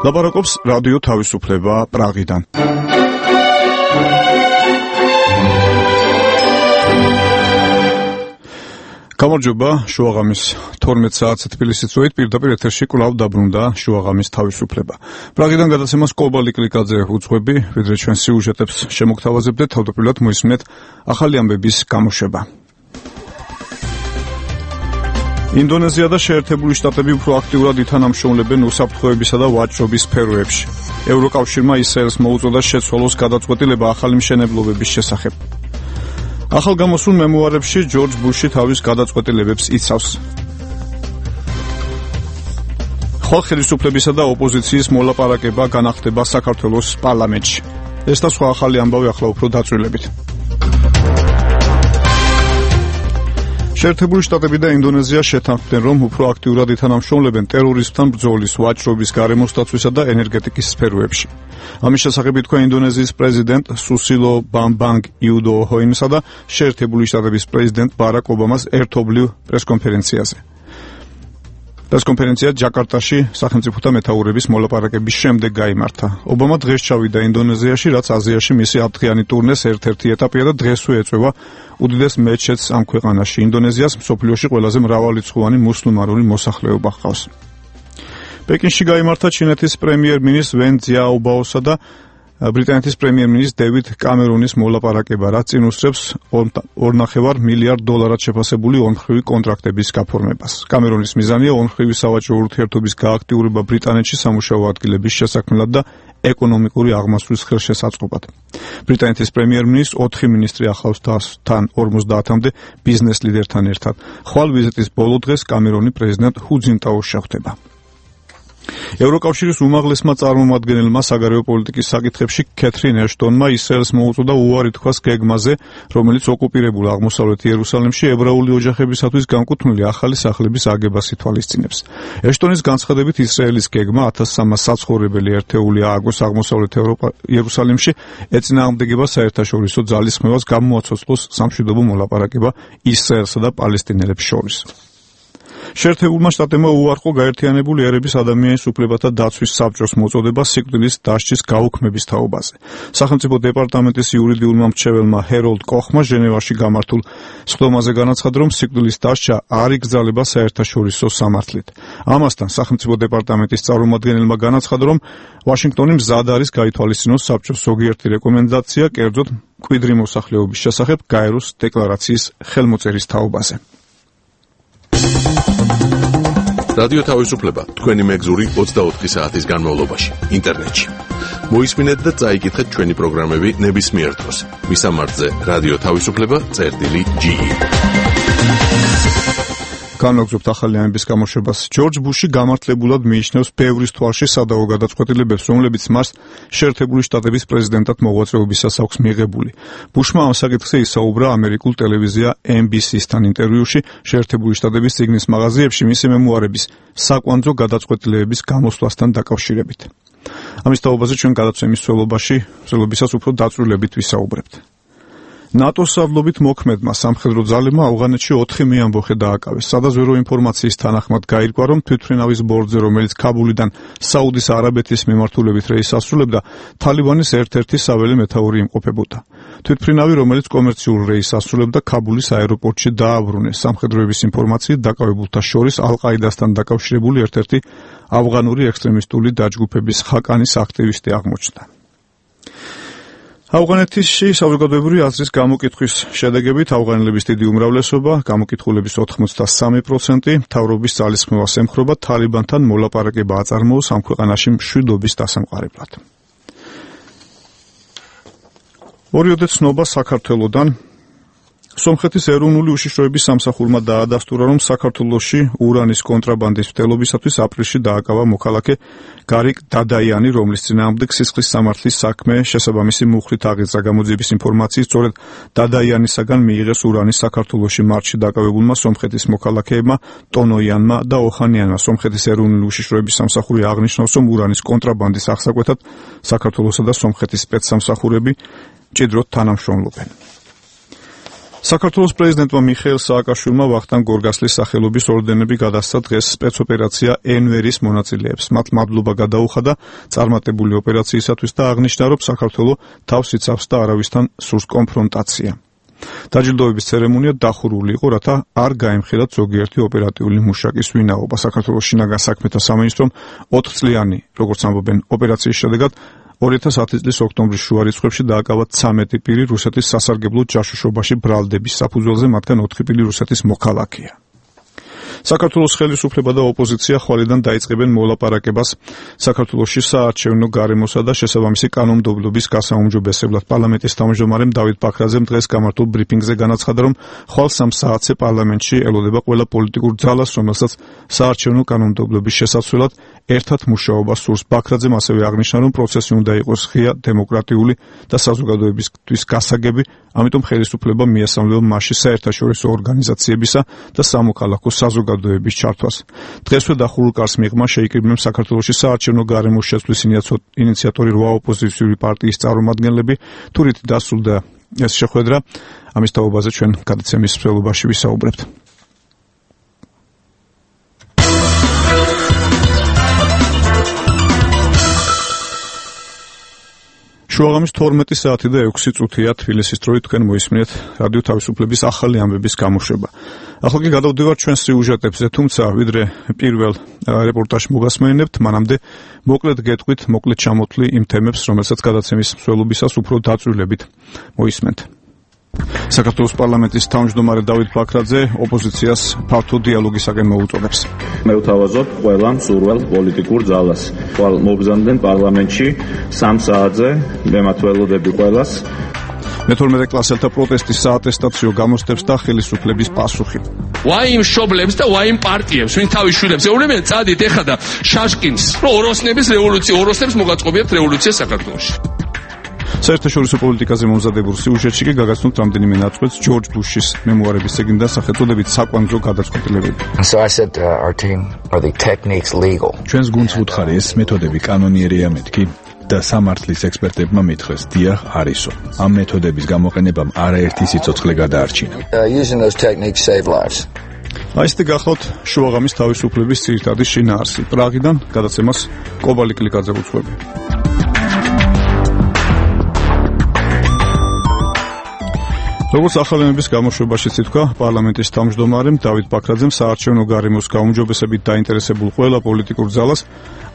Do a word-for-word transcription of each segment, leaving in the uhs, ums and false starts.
ლაპარაკობს რადიო თავისუფლება პრაღიდან. გამარჯობა, შუაღამის თორმეტ საათზე თბილისის დროით პირდაპირ ეთერში კვლავ დაბრუნდა შუაღამის თავისუფლება. პრაღიდან გადაცემას კობალი კლიკაძე უძღვები, ვიდრე ჩვენ სიუჟეტებს შემოგთავაზებდეთ, თავდაპირველად მოისმინეთ ახალი ამბების გამოშვება. ინდონეზია და შეერთებული შტატები უფრო აქტიურად ითანამშრომლებენ უსაფრთხოებისა და ვაჭრობის სფეროებში. ევროკავშირმა ისრაელს მოუწოდა შეცვალოს გადაწყვეტილება ახალი მშენებლობების შესახებ. ახალ გამოსულ მემუარებში ჯორჯ ბუში თავის გადაწყვეტილებებს იცავს. ხვალ ხელისუფლებისა და ოპოზიციის მოლაპარაკება განახდება საქართველოს პარლამენტში. ეს და სხვა ახალი ამბავი ახლა უფრო დაწვრილებით. შეერთებული შტატები და ინდონეზია შეთანხმდნენ, რომ უფრო აქტიურად ითანამშრომლებენ ტერორიზმთან ბრძოლის, ვაჭრობის, გარემოსდაცვისა და ენერგეტიკის სფეროებში. ამის შესახებ ითქვა ინდონეზიის პრეზიდენტ სუსილო ბამბანგ იუდოჰოიმსა და შეერთებული შტატების პრეზიდენტ ბარაკ ობამას ერთობლივ პრესკონფერენციაზე. პრესკონფერენცია ჯაკარტაში სახელმწიფოთა მეთაურების მოლაპარაკების შემდეგ გაიმართა. ობამა დღეს ჩავიდა ინდონეზიაში, რაც აზიაში მისი ათდღიანი ტურნეს ერთ-ერთი ეტაპია და დღესვე ეწევა უდიდეს მეჩეთს ამ ქვეყანაში. ინდონეზიას მსოფლიოში ყველაზე მრავალრიცხოვანი მუსლიმანური მოსახლეობა ჰყავს. პეკინში გაიმართა ჩინეთის პრემიერ-მინისტრ ვენ ძიაობაოსა და ბრიტანეთის პრემიერ-მინისტრ დევიდ კამერონის მოლაპარაკება, რაც წინ უსწრებს ორნახევარ მილიარდ დოლარად შეფასებული ორმხრივი კონტრაქტების გაფორმებას. კამერონის მიზანია ორმხრივი სავაჭრო ურთიერთობის გააქტიურება ბრიტანეთში სამუშაო ადგილების შესაქმნელად და ეკონომიკური აღმასვლის ხელშესაწყობად. ბრიტანეთის პრემიერ-მინისტრ ოთხი მინისტრი ახლავს თან ორმოცდაათამდე ბიზნეს ლიდერთან ერთად. ხვალ ვიზიტის ბოლო დღეს კამერონი პრეზიდენტ ჰუ ძინტაოში ხვდება. ევროკავშირის უმაღლესმა წარმომადგენელმა საგარეო პოლიტიკის საკითხებში კეთრინ ეშტონმა ისრაელს მოუწოდა უარი თქვას გეგმაზე, რომელიც ოკუპირებულ აღმოსავლეთ იერუსალიმში ებრაული ოჯახებისათვის განკუთვნილი ახალი სახლების აგებას ითვალისწინებს. ეშტონის განცხადებით ისრაელის გეგმა ათას სამას საცხოვრებელი ერთეული ააგოს აღმოსავლეთ იერუსალიმში ეწინააღმდეგება საერთაშორისო ძალისხმევას, გამოაცოცხლოს სამშვიდობო მოლაპარაკება ისრაელსა და პალესტინელებს შორის. შეერთებულმა შტატებმა უარყო გაერთიანებული ერების ადამიანის უფლებათა დაცვის საბჭოს მოწოდება სიკვდილის დასჯის გაუქმების თაობაზე. სახელმწიფო დეპარტამენტის იურიდიულმა მრჩეველმა ჰეროლდ კოხმა ჟენევაში გამართულ სხდომაზე განაცხადა, რომ სიკვდილის დასჯა არ იგრძალება საერთაშორისო სამართლით. ამასთან სახელმწიფო დეპარტამენტის წარმომადგენელმა განაცხადა, რომ ვაშინგტონი მზად არის გაითვალისწინოს საბჭოს ზოგიერთი რეკომენდაცია, კერძოდ მკვიდრი მოსახლეობის შესახებ გაეროს დეკლარაციის ხელმოწერის თაობაზე. რადიო თავისუფლება თქვენი მეგზური ოცდაოთხი საათის განმავლობაში ინტერნეტში. მოისმინეთ და წაიკითხეთ ჩვენი პროგრამები ნებისმიერ დროს. მისამართზე რადიო თავისუფლება წერტილი ჯი ი. განვაგრძობთ ახალი ამბების გამოშვებას. ჯორჯ ბუში გამართლებულად მიიჩნევს ბევრის თვალში სადავო გადაწყვეტილებებს, რომლებიც მას შეერთებული შტატების პრეზიდენტად მოღვაწეობისას აქვს მიღებული. ბუშმა ამ საკითხზე ისაუბრა ამერიკულ ტელევიზია ენ ბი სი-სთან ინტერვიუში შეერთებული შტატების წიგნის მაღაზიებში მისი მემუარების საკვანძო გადაწყვეტილებების გამოსვლასთან დაკავშირებით. ამის თაობაზე ჩვენ გადაცემის სველობაში, სველობისას უფრო დაწვრილებით ვისაუბრებთ. ნატოს სარდლობით მოქმედმა სამხედრო ძალებმა ავღანეთში ოთხი მეამბოხე დააკავეს. სადაზვერო ინფორმაციის თანახმად გაირკვა, რომ თვითმფრინავის ბორტზე, რომელიც ქაბულიდან საუდის არაბეთის მიმართულებით რეისს ასრულებდა, თალიბანის ერთ-ერთი საველე მეთაური იმყოფებოდა. თვითმფრინავი, რომელიც კომერციულ რეისს ასრულებდა, ქაბულის აეროპორტში დააბრუნეს. სამხედროების ინფორმაციით დაკავებულთა შორის ალ-ყაიდასთან დაკავშირებული ერთ-ერთი ავღანური ექსტრემისტული დაჯგუფების ხაკანის აქტივისტი აღმოჩნდა. ავღანეთში საზოგადოებრივი აზრის გამოკითხვის შედეგებით ავღანელების დიდი უმრავლესობა, გამოკითხულების ოთხმოცდასამი პროცენტი, მთავრობის ძალისხმევას ემხრობა, თალიბანთან მოლაპარაკება აწარმოოს ამ ქვეყანაში მშვიდობის დასამყარებლად. ორიოდე ცნობა საქართველოდან. სომხეთის ეროვნული უშიშროების სამსახურმა დაადასტურა, რომ საქართველოში ურანის კონტრაბანდის მცდელობისათვის აპრილში დააკავა მოქალაქე გარიკ დადაიანი, რომლის წინააღმდეგ სისხლის სამართლის საქმე შესაბამისი მუხლით აღიძრა. გამოძიების ინფორმაციით, სწორედ დადაიანისაგან მიიღეს ურანის საქართველოში მარტში დაკავებულმა სომხეთის მოქალაქეებმა ტონოიანმა და ოხანიანმა. სომხეთის ეროვნული უშიშროების სამსახური აღნიშნავს, რომ ურანის კონტრაბანდის აღსაკვეთად საქართველოსა და სომხეთის სპეცსამსახურები მჭიდროდ თანამშრომლობენ. საქართველოს პრეზიდენტმა მიხეილ სააკაშვილმა ვახტანგ გორგასლის სახელობის ორდენები გადასცა დღეს სპეცოპერაცია ენვერის მონაწილეებს. მათ მადლობა გადაუხადა წარმატებული ოპერაციისათვის და აღნიშნა, რომ საქართველო თავს იცავს და არავისთან სურს კონფრონტაცია. დაჯილდოების ცერემონია დახურული იყო, რათა არ გაემხილათ ზოგიერთი ოპერატიული მუშაკის ვინაობა. საქართველოს შინაგან საქმეთა სამინისტრომ ოთხწლიანი, როგორც ამბობენ, ოპერაციის შედეგად ორი ათას ათი წლის ოქტომბრის შუა რიცხვებში დააკავათ ცამეტი პირი რუსეთის სასარგებლო ჯაშუშობაში ბრალდების საფუძველზე, მათგან ოთხი პირი რუსეთის მოქალაქეა. საქართველოს ხელისუფლება და ოპოზიცია ხვალიდან დაიწყებენ მოლაპარაკებას საქართველოში საარჩევნო გარემოსა და შესაბამისი კანონმდებლობის გასაუმჯობესებლად. პარლამენტის თავმჯდომარემ დავით ბაქრაძემ დღეს გამართულ ბრიფინგზე განაცხადა, რომ ხვალ სამ საათზე პარლამენტში ელოდება ყველა პოლიტიკურ ძალას, რომელსაც საარჩევნო კანონმდებლობის შესაცვლელად ერთად მუშაობას სურს. ბაქრაძემ ასევე აღნიშნა, რომ პროცესი უნდა იყოს ღია, დემოკრატიული და საზოგადოებისთვის გასაგები, ამიტომ ხელისუფლება მიესალმება მასში საერთაშორისო ორგანიზაციებისა და სამოქალაქო საზოგადოების ჩართვას. დღესვე დახურულ კარს მიღმა შეიკრიბნენ საქართველოში საარჩევნო გარემოს შეცვლის ინიციატორი რვა ოპოზიციური პარტიის წარმომადგენლები. თუ რით დასრულდა ეს შეხვედრა, ამის თაობაზე ჩვენ გადაცემის მსვლელობაში ვისაუბრებთ. შუაღამის თორმეტი საათი და ექვსი წუთია თბილისის დროით თქვენ მოისმინეთ რადიო თავისუფლების ახალი ამბების გამოშვება. ახლა კი გადავდივართ ჩვენ სიუჟეტებზე, თუმცა ვიდრე პირველ რეპორტაჟს მოგასმენებთ, მანამდე მოკლედ გეტყვით, მოკლედ ჩამოთვლი იმ თემებს, რომელსაც გადაცემის მსვლელობისას უფრო დაწვრილებით მოისმენთ. საქართველოს პარლამენტის თავმჯდომარე დავით ბაქრაძე ოპოზიციას ფართო დიალოგისაკენ მოუწოდებს. მე ვთავაზობ ყველა მსურველ პოლიტიკურ ძალას. ხვალ მობრძანდნენ პარლამენტში სამ საათზე, მე ველოდები ყველას. მეთორმეტე კლასელთა პროტესტის საატესტაციო გამოსდებს და ხელისუფლების პასუხი. ვაი იმ მშობლებს და ვაი იმ პარტიებს, ვინ თავის შვილებს ეუბნებიან, წადით ეხლა და შაშკინს, რომ ოროსნების რევოლუცია, ოროსნებს მოგაწყობიათ რევოლუცია საქართველოში. საერთაშორისო პოლიტიკაზე მომზადებულ სიუჟეტში კი გაგაცნობთ რამდენიმე ნაწყვეტს ჯორჯ ბუშის მემუარების წიგნიდან სახელწოდებით საკვანძო გადაწყვეტილებები. So I said uh, our team are the techniques legal. ჩვენს გუნდს ვუთხარი ეს მეთოდები კანონიერია მეთქი და სამართლის ექსპერტებმა მითხრეს დიახ არისო. ამ მეთოდების გამოყენებამ არაერთი სიცოცხლე გადაარჩინა. Uh, using those techniques save lives. აისტი გახლავთ შუაღამის თავისუფლების ძირითადი შინაარსი. პრაღიდან გადაცემას კობალი კლიკაძე უძღვები. როგორც ახალენების გამოშვებაში ითქვა, პარლამენტის თავმჯდომარემ დავით ბაქრაძემ საარჩევნო გარემოს გაუმჯობესებით დაინტერესებულ ყველა პოლიტიკურ ძალას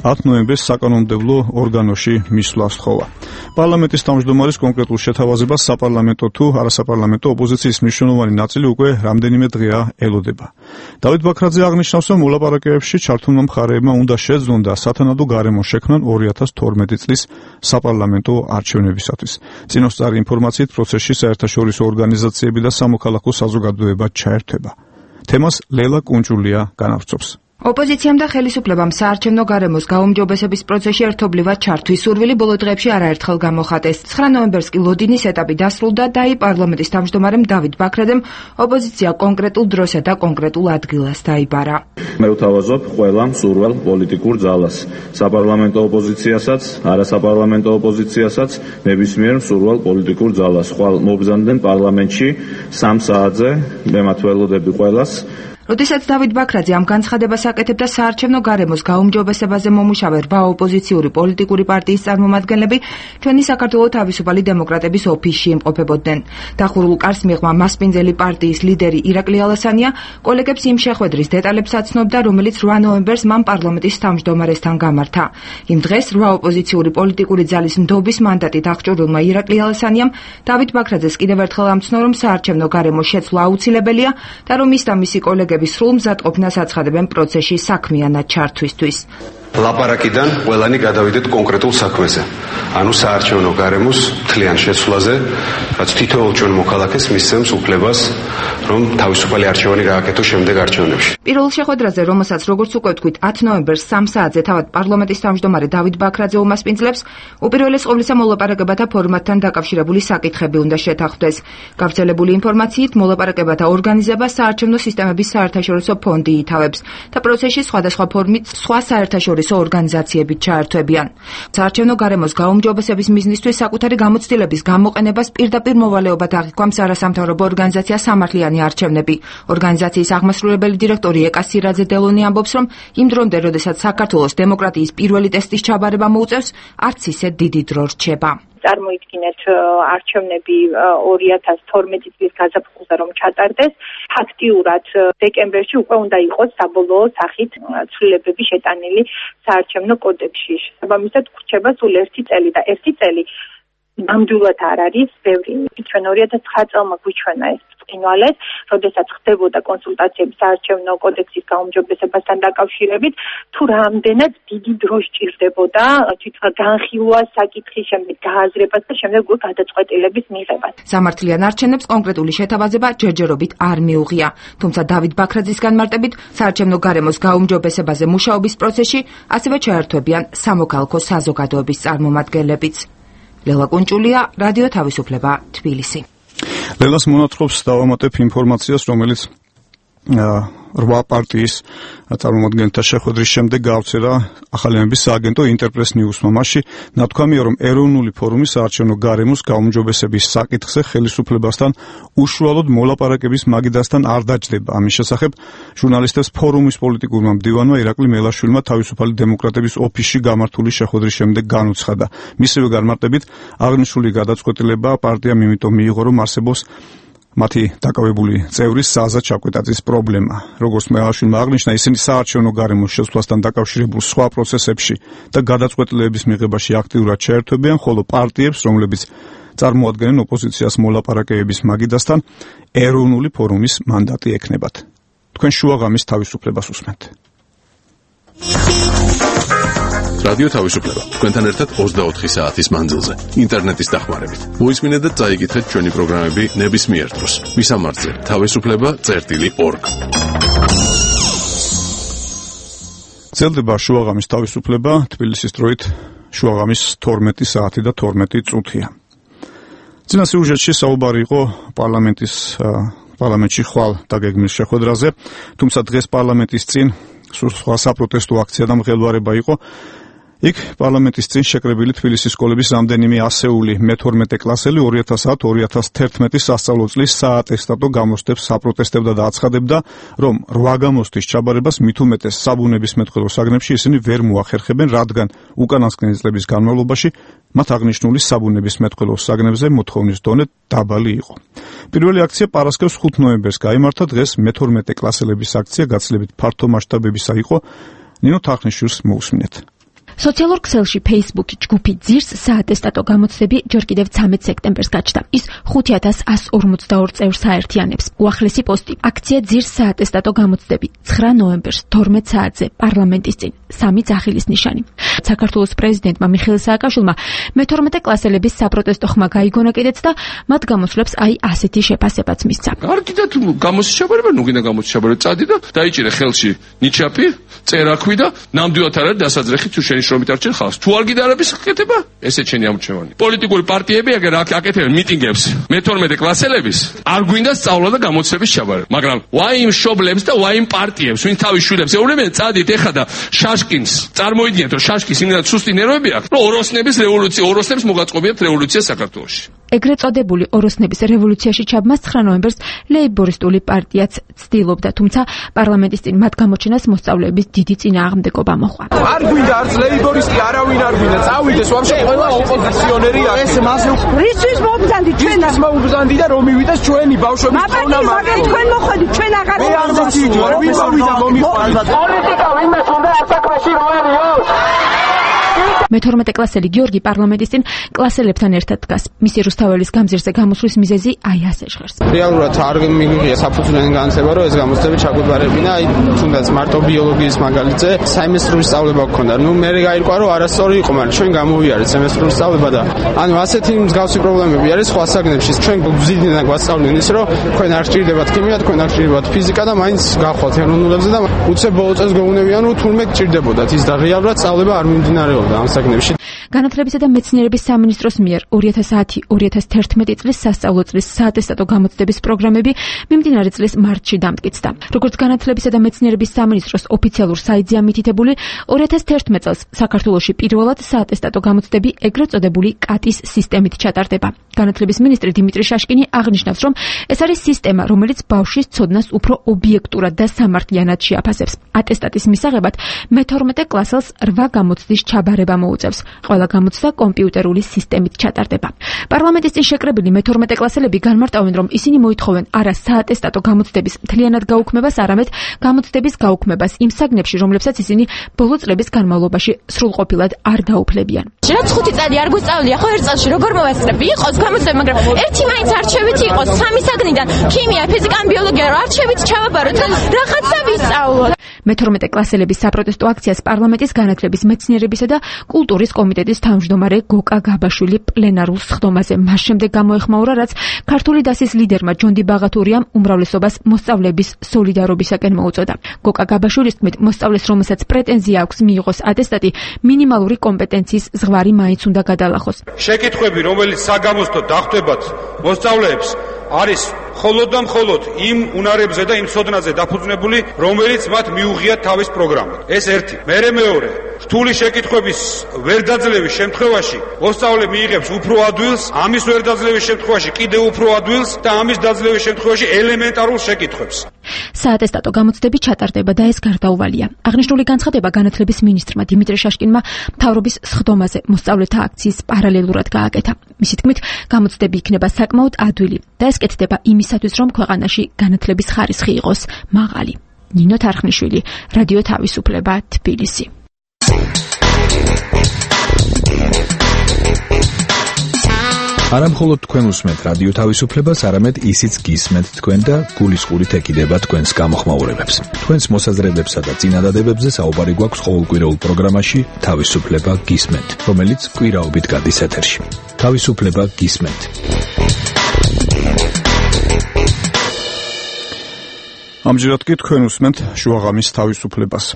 ათი ნოემბერს საკანონმდებლო ორგანოში მისვლა სთხოვა. პარლამენტის თავმჯდომარის კონკრეტულ შეთავაზებას საპარლამენტო თუ არასაპარლამენტო ოპოზიციის მნიშვნელოვანი ნაწილი უკვე რამდენიმე დღეა ელოდება. დავით ბაქრაძე აღნიშნავს, რომ მოლაპარაკებებში ჩართულმა მხარეებმა უნდა შეძლონ და სათანადო გარემო შექმნან ორი ათას თორმეტი წლის საპარლამენტო არჩევნებისათვის. წინასწარი ინფორმაციით პროცესში საერთაშორისო ორგანიზაციები და სამოქალაქო საზოგადოება ჩაერთვება. თემას ლელა კუნჭულია განავრცობს. ოპოზიციამ და ხელისუფლებამ საარჩევნო გარემოს გაუმჯობესების პროცესში ერთობლივად ჩართვის სურვილი ბოლო დღეებში არაერთხელ გამოხატეს. ცხრა ნოემბერს კი ლოდინის ეტაპი დასრულდა და აი პარლამენტის თავმჯდომარემ დავით ბაქრაძემ ოპოზიცია კონკრეტულ დროსა და კონკრეტულ ადგილას დაიბარა. მე ვთავაზობ ყველა მსურველ პოლიტიკურ ძალას, საპარლამენტო ოპოზიციასაც, არასაპარლამენტო ოპოზიციასაც, ნებისმიერ მსურველ პოლიტიკურ ძალას. ხვალ მობრძანდნენ პარლამენტში სამ საათზე, მე ველოდები ყველას. როდესაც დავით ბაქრაძე ამ განცხადებას აკეთებდა საარჩევნო გარემოს გაუმჯობესებაზე მომუშავე რვა ოპოზიციური პოლიტიკური პარტიის წარმომადგენლები ჩვენი საქართველოს თავისუფალი დემოკრატების ოფისში იმყოფებოდნენ. დახურულ კარს მიღმა მასპინძელი პარტიის ლიდერი ირაკლი ალასანია კოლეგებს იმ შეხვედრის დეტალებს აცნობდა, რომელიც რვა ნოემბერს მან პარლამენტის თავმჯდომარესთან გამართა. იმ დღეს რვა ოპოზიციური პოლიტიკური ძალის ნდობის მანდატით აღჭურვილმა ირაკლი ალასანიამ დავით ბაქრაძეს კიდევ ერთხელ ამცნო, რომ საარჩევნო გარემოს შეცვლა აუცილებელია და რომ ის და მისი კოლეგები სრულ მზადყოფნას აცხადებენ პროცესში საქმიანად ჩართვისთვის. ლაპარაკიდან ყველანი გადავიდეთ კონკრეტულ საქმეზე, ანუ საარჩევნო გარემოს მთლიან შეცვლაზე, რაც თითოეულ ჩვენ მოქალაქეს მისცემს უფლებას, რომ თავისუფალი არჩევანი გააკეთოს შემდეგ არჩევნებში. პირველ შეხვედრაზე, რომელსაც როგორც უკვე ვთქვით, ათი ნოემბერს სამ საათზე თავად პარლამენტის თავმჯდომარე დავით ბაქრაძე უმასპინძლებს, უპირველეს ყოვლისა მოლაპარაკებათა ფორმატთან დაკავშირებული საკითხები უნდა შეთანხმდეს. გავრცელებული ინფორმაციით, მოლაპარაკებათა ორგანიზებას საარჩევნო სისტემების საერთაშორისო ფონდი ითავებს და პროცესში სხვადასხვა ფორმით სხვა საერთაშორისო საერთაშორისო ორგანიზაციებით ჩაერთვებიან. საარჩევნო გარემოს გაუმჯობესების მიზნისთვის საკუთარი გამოცდილების გამოყენებას პირდაპირ მოვალეობად აღიქვამს არასამთავრობო ორგანიზაცია სამართლიანი არჩევნები. ორგანიზაციის აღმასრულებელი დირექტორი ეკა სირაძე დელონი ამბობს, რომ იმ დრომდე, როდესაც საქართველოს დემოკრატიის პირველი ტესტის ჩაბარება მოუწევს, არც ისე დიდი დრო რჩება. წარმოიდგინეთ არჩევნები ორი ათას თორმეტი წლის გაზაფხულზე რომ ჩატარდეს, ფაქტიურად დეკემბერში უკვე უნდა იყოს საბოლოო სახით ცვლილებები შეტანილი საარჩევნო კოდექსში. შესაბამისად გვრჩება სულ ერთი წელი და ერთი წელი ნამდვილად არ არის ბევრი. ჩვენ ორი ათას ცხრა წელმა გვიჩვენა ეს ბრწყინვალეს, როდესაც ხდებოდა კონსულტაციები საარჩევნო კოდექსის გაუმჯობესებასთან დაკავშირებით, თუ რამდენად დიდი დრო სჭირდებოდა თვითონ განხილვას, საკითხის, შემდეგ გააზრებას და შემდეგ უკვე გადაწყვეტილების მიღებას. სამართლიან არჩევნებს კონკრეტული შეთავაზება ჯერჯერობით არ მიუღია, თუმცა დავით ბაქრაძის განმარტებით საარჩევნო გარემოს გაუმჯობესებაზე მუშაობის პროცესში ასევე ჩაერთვებიან სამოქალაქო საზოგადოების წარმომადგენლებიც. ლელა კუნჭულია, რადიო თავისუფლება, თბილისი. ლელას მონათხრობს დავამატებ ინფორმაციას, რომელიც რვა პარტიის წარმომადგენელთა შეხვედრის შემდეგ გავრცელა ახალიანების სააგენტო ინტერპრეს ნიუსმა. მასში ნათქვამია, რომ ეროვნული ფორუმი საარჩევნო გარემოს გაუმჯობესების საკითხზე ხელისუფლებასთან უშუალოდ მოლაპარაკების მაგიდასთან არ დაჯდება. ამის შესახებ ჟურნალისტებს ფორუმის პოლიტიკურმა მდივანმა ირაკლი მელაშვილმა თავისუფალი დემოკრატების ოფისში გამართული შეხვედრის შემდეგ განუცხადა. მისივე განმარტებით, აღნიშნული გადაწყვეტილება პარტიამ იმიტომ მიიღო, რომ არსებობს მათი დაკავებული წევრის საზა ჩაკვეტაძის პრობლემა. როგორც მელაშვილმა აღნიშნა, ისინი საარჩევნო გარემოს შესვლასთან დაკავშირებულ სხვა პროცესებში და გადაწყვეტილებების მიღებაში აქტიურად ჩაერთვებიან, ხოლო პარტიებს, რომლებიც წარმოადგენენ ოპოზიციას მოლაპარაკებების მაგიდასთან, ეროვნული ფორუმის მანდატი ექნებათ. თქვენ შუაღამის თავისუფლებას უსმენთ. რადიო თავისუფლება. თქვენთან ერთად ოცდაოთხი საათის მანძილზე. ინტერნეტის დახმარებით. მოისმინეთ და წაიკითხეთ ჩვენი პროგრამები ნებისმიერ დროს. მისამართზე თავისუფლება წერტილი ორგ. ძლდება შუაღამის თავისუფლება, თბილისის დროით შუაღამის თორმეტი საათი და თორმეტი წუთია. წინა სიუჟეტში საუბარი იყო პარლამენტის პარლამენტში ხვალ დაგეგმვის შეხვედრაზე, თუმცა დღეს პარლამენტის წინ სხვა საპროტესტო აქცია და მღელვარება იყო. იქ პარლამენტის წინ შეკრებილი თბილისის სკოლების რამდენიმე ასეული მეთორმეტე კლასელი ორი ათას ათ ორი ათას თერთმეტი სასწავლო წლის საატესტატო გამოცდებს საპროტესტებდა და აცხადებდა, რომ რვა გამოცდის ჩაბარებას მით უმეტეს საბუნებისმეტყველო საგნებში ისინი ვერ მოახერხებენ, რადგან უკანასკნელი წლების განმავლობაში მათ აღნიშნული საბუნებისმეტყველო საგნებზე მოთხოვნის დონე დაბალი იყო. პირველი აქცია პარასკევს ხუთ ნოემბერს გაიმართა, დღეს მეთორმეტე კლასელების აქცია გაცილებით ფართო მასშტაბებისა იყო. ნინო თახნიშვილს მოусმინეთ. სოციალურ ქსელში Facebook-ი ჯგუფი ძირს საატესტატო გამოცდები ჯერ კიდევ ცამეტ სექტემბერს გაჩნდა. ის ხუთი ათას ასი ორმოცდაორი წევრს აერთიანებს. უახლესი პოსტი: აქცია ძირს საატესტატო გამოცდები ცხრა ნოემბერს თორმეტ საათზე პარლამენტის წინ. სამი ძახილის ნიშანი. საქართველოს პრეზიდენტმა მიხეილ სააკაშვილმა მეთორმეტე კლასელების საპროტესტო ხმა გაიგონა კიდეც და მათ გამოსვლებს აი ასეთი შეფასებაც მისცა. კარგი და თუ გამოსის ჩაბარება, ნუ გინდა გამოსის ჩაბარება წადი და დაიჭირე ხელში ნიჩაპი, წერაქვი და ნამდვილად არ არის დასაძრეხი თუ შენი შრომით არჩენ ხალხს. თუ არ გიდა არაფერს ხკეტება, ესე ჩენი ამჩევანი. პოლიტიკური პარტიები აგერ აკეთებენ მიტინგებს მეთორმეტე კლასელების, არ გვინდა სწავლა და გამოცდების ჩაბარება. მაგრამ ვაიმ შობლებს და ვაიმ პარტიებს, ვინ თავის შვილებს ეუბნებიან, წადით ეხა და შაშკინს წარმოიდგინეთ, რომ შაშკის იმდენად სუსტი ნერვები აქვს, რომ ოროსნების რევოლუცია, ოროსნებს მოგაწყობიათ რევოლუცია საქართველოში. ეგრეთ წოდებული ოროსნების რევოლუციაში ჩაბმას ცხრა ნოემბერს ლეიბორისტული პარტიაც ცდილობდა, თუმცა პარლამენტის წინ მათ გამოჩენას მოსწავლეების დიდი წინააღმდეგობა მოჰყვა. არ გვინდა არც ლეიბორისტი, არავინ არ გვინდა. წავიდეს ვაფშე ყველა ოპოზიციონერი აქ. ეს მასე რისთვის მომბზანდი ჩვენ? ის მომბზანდი და რომ მივიდეს ჩვენი ბავშვების ხონა მაგ თქვენ მოხდით, ჩვენ აღარ ვიმოვიდეთ. ვინ მოვიდა მომიყვანდა. პოლიტიკა ვინმე უნდა ასაკში როერიო. მეთორმეტე კლასელი გიორგი პარლამენტის წინ კლასელებთან ერთად დგას. მისი რუსთაველის გამზირზე გამოსვლის მიზეზი აი ასე ჟღერს. რეალურად არ მიიღია საფუძვლიანი განათლება, რომ ეს გამოცდები ჩაგვიბარებინა, აი თუნდაც მარტო ბიოლოგიის მაგალითზე საიმესტრო სწავლება გქონდა. ნუ მე გაირკვა, რომ არასწორი იყო, მაგრამ ჩვენ გამოვიარეთ სემესტრო სწავლება და ანუ ასეთი მსგავსი პრობლემები არის სხვა საგნებში. ჩვენ გვზიდნენ გვასწავლდნენ ის, რომ თქვენ არ გჭირდებათ ქიმია, თქვენ არ გჭირდებათ ფიზიკა და მაინც გახვალთ ეროვნულებზე და უცებ ბოლო წელს გეუბნებიან, რომ თურმე გჭირდებოდათ ის და რეალურად სწავლება არ მიმდინარეობდა ამ საგნებში. განათლებისა და მეცნიერების სამინისტროს მიერ ორი ათას ათი ორი ათას თერთმეტი წლის სასწავლო წლის საატესტატო გამოცდების პროგრამები მიმდინარე წლის მარტში დამტკიცდა. როგორც განათლებისა და მეცნიერების სამინისტროს ოფიციალურ საიტზე ამითითებული, ორი ათას თერთმეტ წელს საქართველოში პირველად საატესტატო გამოცდები ეგრეთ წოდებული კატის სისტემით ჩატარდება. განათლების მინისტრი დიმიტრი შაშკინი აღნიშნავს, რომ ეს არის სისტემა, რომელიც ბავშვის ცოდნას უფრო ობიექტურად და სამართლიანად შეაფასებს. ატესტატის მისაღებად მეთორმეტე კლასელს რვა გამოცდის ჩაბარება მოუწევს. ყველა გამოცდა კომპიუტერული სისტემით ჩატარდება. პარლამენტის წინ შეკრებილი მეთორმეტე კლასელები განმარტავენ, რომ ისინი მოითხოვენ არა საატესტატო გამოცდების მთლიანად გაუქმებას, არამედ გამოცდების გაუქმებას იმ საგნებში, რომლებსაც ისინი ბოლო წლების განმავლობაში სრულყოფილად არ დაუფლებიან. რაც ხუთი წელი არ გვისწავლია, ხო ერთ წელში როგორ მოვასწრები? იყოს გამოცდები, მაგრამ ერთი მაინც არჩევით იყოს სამი საგნიდან ქიმია, ფიზიკა, ბიოლოგია, არჩევით ჩავაბაროთ, რაღაცა ვისწავლოთ. მეთორმეტე კლასელების საპროტესტო აქციას პარლამენტის განათლების, მეცნიერებისა და კულტურის კომიტეტის თავმჯდომარე გოკა გაბაშვილი პლენარულ სხდომაზე მას შემდეგ გამოეხმაურა, რაც ქართული დასის ლიდერმა ჯონდი ბაღათურიამ უმრავლესობას მოსწავლეების სოლიდარობისაკენ მოუწოდა. გოკა გაბაშვილის თქმით, მოსწავლეს, რომელსაც პრეტენზია აქვს მიიღოს ატესტატი, მინიმალური კომპეტენციის ზღვარი მაინც უნდა გადალახოს. შეკითხვები, რომელიც საგამოცდო დახვდებათ მოსწავლეებს, არის მხოლოდ და მხოლოდ იმ უნარებზე და იმ ცოდნაზე დაფუძნებული, რომელიც მათ მიუღიათ თავის პროგრამად. ეს ერთი. მერე მეორე, რთული შეკითხვების ვერდაძლევის შემთხვევაში მოსწავლე მიიღებს უფრო ადვილს, ამის ვერდაძლევის შემთხვევაში კიდევ უფრო ადვილს და ამის დაძლევის შემთხვევაში ელემენტარულ შეკითხვებს. საატესტატო გამოცდები ჩატარდება და ეს გარდაუვალია. აღნიშნული განცხადება განათლების მინისტრმა დიმიტრი შაშკინმა მთავრობის სხდომაზე მოსწავლეთა აქციის პარალელურად გააკეთა. მისი თქმით, გამოცდები იქნება საკმაოდ ადვილი და ეს კეთდება იმისათვის, რომ ქვეყანაში განათლების ხარისხი იყოს მაღალი. ნინო თარხნიშვილი, რადიო თავისუფლება, თბილისი. არა მხოლოდ თქვენ უსმენთ რადიო თავისუფლებას, არამედ ისიც გისმენთ თქვენ და გულისყურით ეკიდება თქვენს გამოხმაურებებს. თქვენს მოსაზრებებსა და წინადადებებზე საუბარი გვაქვს ყოველკვირეულ პროგრამაში თავისუფლება გისმენთ, რომელიც კვირაობით გადის ეთერში. თავისუფლება გისმენთ. ამჯერად კი თქვენ უსმენთ შუაღამის თავისუფლებას.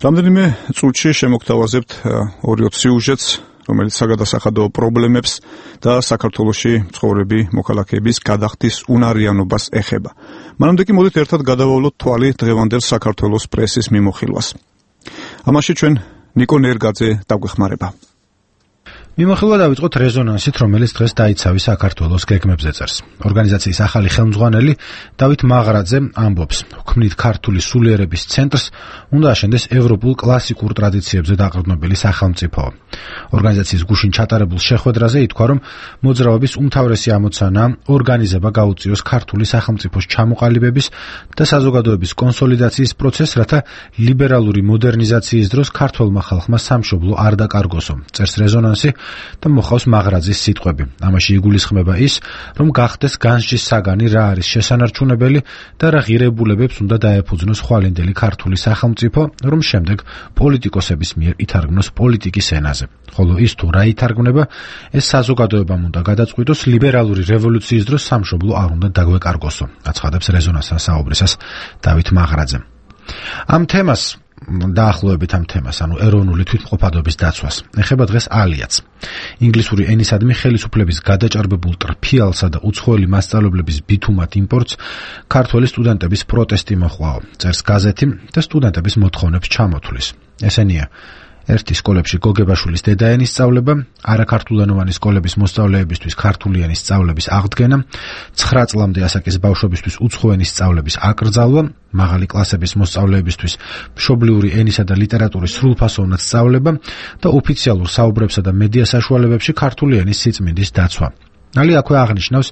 რამდენიმე წუთში შემოგთავაზებთ ორი სიუჟეტს, რომელიც საგადასახადო პრობლემებს და საქართველოში მცხოვრები მოქალაქეების გადახდის უნარიანობას ეხება. მანამდე კი მოდით ერთად გადავავლოთ თვალი დღევანდელ საქართველოს პრესის მიმოხილვას. ამაში ჩვენ ნიკო ნერგაძე დაგვეხმარება. მიმოხილვა დავიწყოთ რეზონანსით, რომელიც დღეს დაიცავი საქართველოს გეგმებზე წერს. ორგანიზაციის ახალი ხელმძღვანელი დავით მაღრაძე ამბობს, ქმნით ქართული სულიერების ცენტრს უნდა აშენდეს ევროპულ კლასიკურ ტრადიციებზე დაყრდნობილი სახელმწიფო. ორგანიზაციის გუშინ ჩატარებულ შეხვედრაზე ითქვა, რომ მოძრაობის უმთავრესი ამოცანა ორგანიზება გაუწიოს ქართული სახელმწიფოს ჩამოყალიბების და საზოგადოების კონსოლიდაციის პროცესს, რათა ლიბერალური მოდერნიზაციის დროს ქართველმა ხალხმა სამშობლო არ დაკარგოსო. წერს რეზონანსი და მოხავს მაღრაძის სიტყვები. ამაში იგულისხმება ის, რომ გახდეს განსჯის საგანი რა არის შესანარჩუნებელი და რა ღირებულებებს უნდა დაეფუძნოს ხვალინდელი ქართული სახელმწიფო, რომ შემდეგ პოლიტიკოსების მიერ ითარგმნოს პოლიტიკის ენაზე. ხოლო ის თუ რა ითარგმნება, ეს საზოგადოებამ უნდა გადაწყვიტოს, ლიბერალური რევოლუციის დროს სამშობლო არ უნდა დაგვეკარგოსო. აცხადებს რეზონანსთან საუბრისას დავით მაღრაძე. ამ თემას დაახლოებით ამ თემას, ანუ ეროვნული თვითმყოფადობის დაცვას, ეხება დღეს ალიაც. ინგლისური ენისადმი ხელისუფლების გადაჭარბებულ ტრფიალსა და უცხოელი მასწავლებლების ბითუმად იმპორტს ქართველი სტუდენტების პროტესტი მოჰყვა, წერს გაზეთი და სტუდენტების მოთხოვნებს ჩამოთვლის. ესენია: ერთი სკოლებში გოგებაშვილის დედაენის სწავლება, არაქართულენოვანი სკოლების მოსწავლეებისთვის ქართული ენის სწავლების აღდგენა, ცხრა წლამდე ასაკის ბავშვებისთვის უცხოენის სწავლების აკრძალვა, მაღალი კლასების მოსწავლეებისთვის მშობლიური ენისა და ლიტერატურის სრულფასოვნად სწავლება და ოფიციალურ საუბრებსა და მედია საშუალებებში ქართული ენის სიწმინდის დაცვა. ნალი აქვე აღნიშნავს,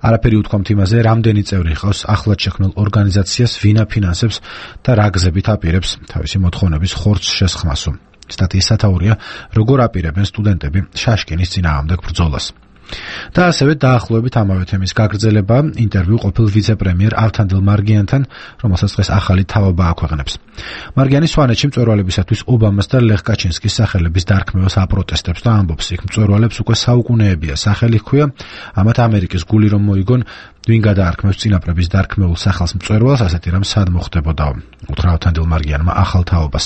არაფერი უთქვამთ იმაზე, რამდენი წევრი ჰყავს ახლად შექმნილ ორგანიზაციას, ვინ აფინანსებს და რა გზებით აპირებს თავისი მოთხოვნების ხორცს შესხმასო. სტატიის სათაურია, როგორ აპირებენ სტუდენტები შაშკინის წინააღმდეგ ბრძოლას. და ასევე დაახლოებით ამავე თემის გაგრძელება ინტერვიუ ყოფილ ვიცე-პრემიერ ავთანდილ მარგიანთან, რომელსაც დღეს ახალი თავობა აქვეყნებს. მარგიანი სვანეთში მწვერვალებისათვის ობამას და ლეხ კაჩინსკის სახელების დარქმევას აპროტესტებს და ამბობს, იქ მწვერვალებს უკვე საუკუნეებია სახელი ჰქვია, ამათ ამერიკის გული რომ მოიგონ, ვინ გადაარქმევს წინაპრების დარქმეულ სახელს მწვერვალს, ასეთი რამ სად მოხდებოდაო, უთხრა ავთანდილ მარგიანმა ახალ თაობას.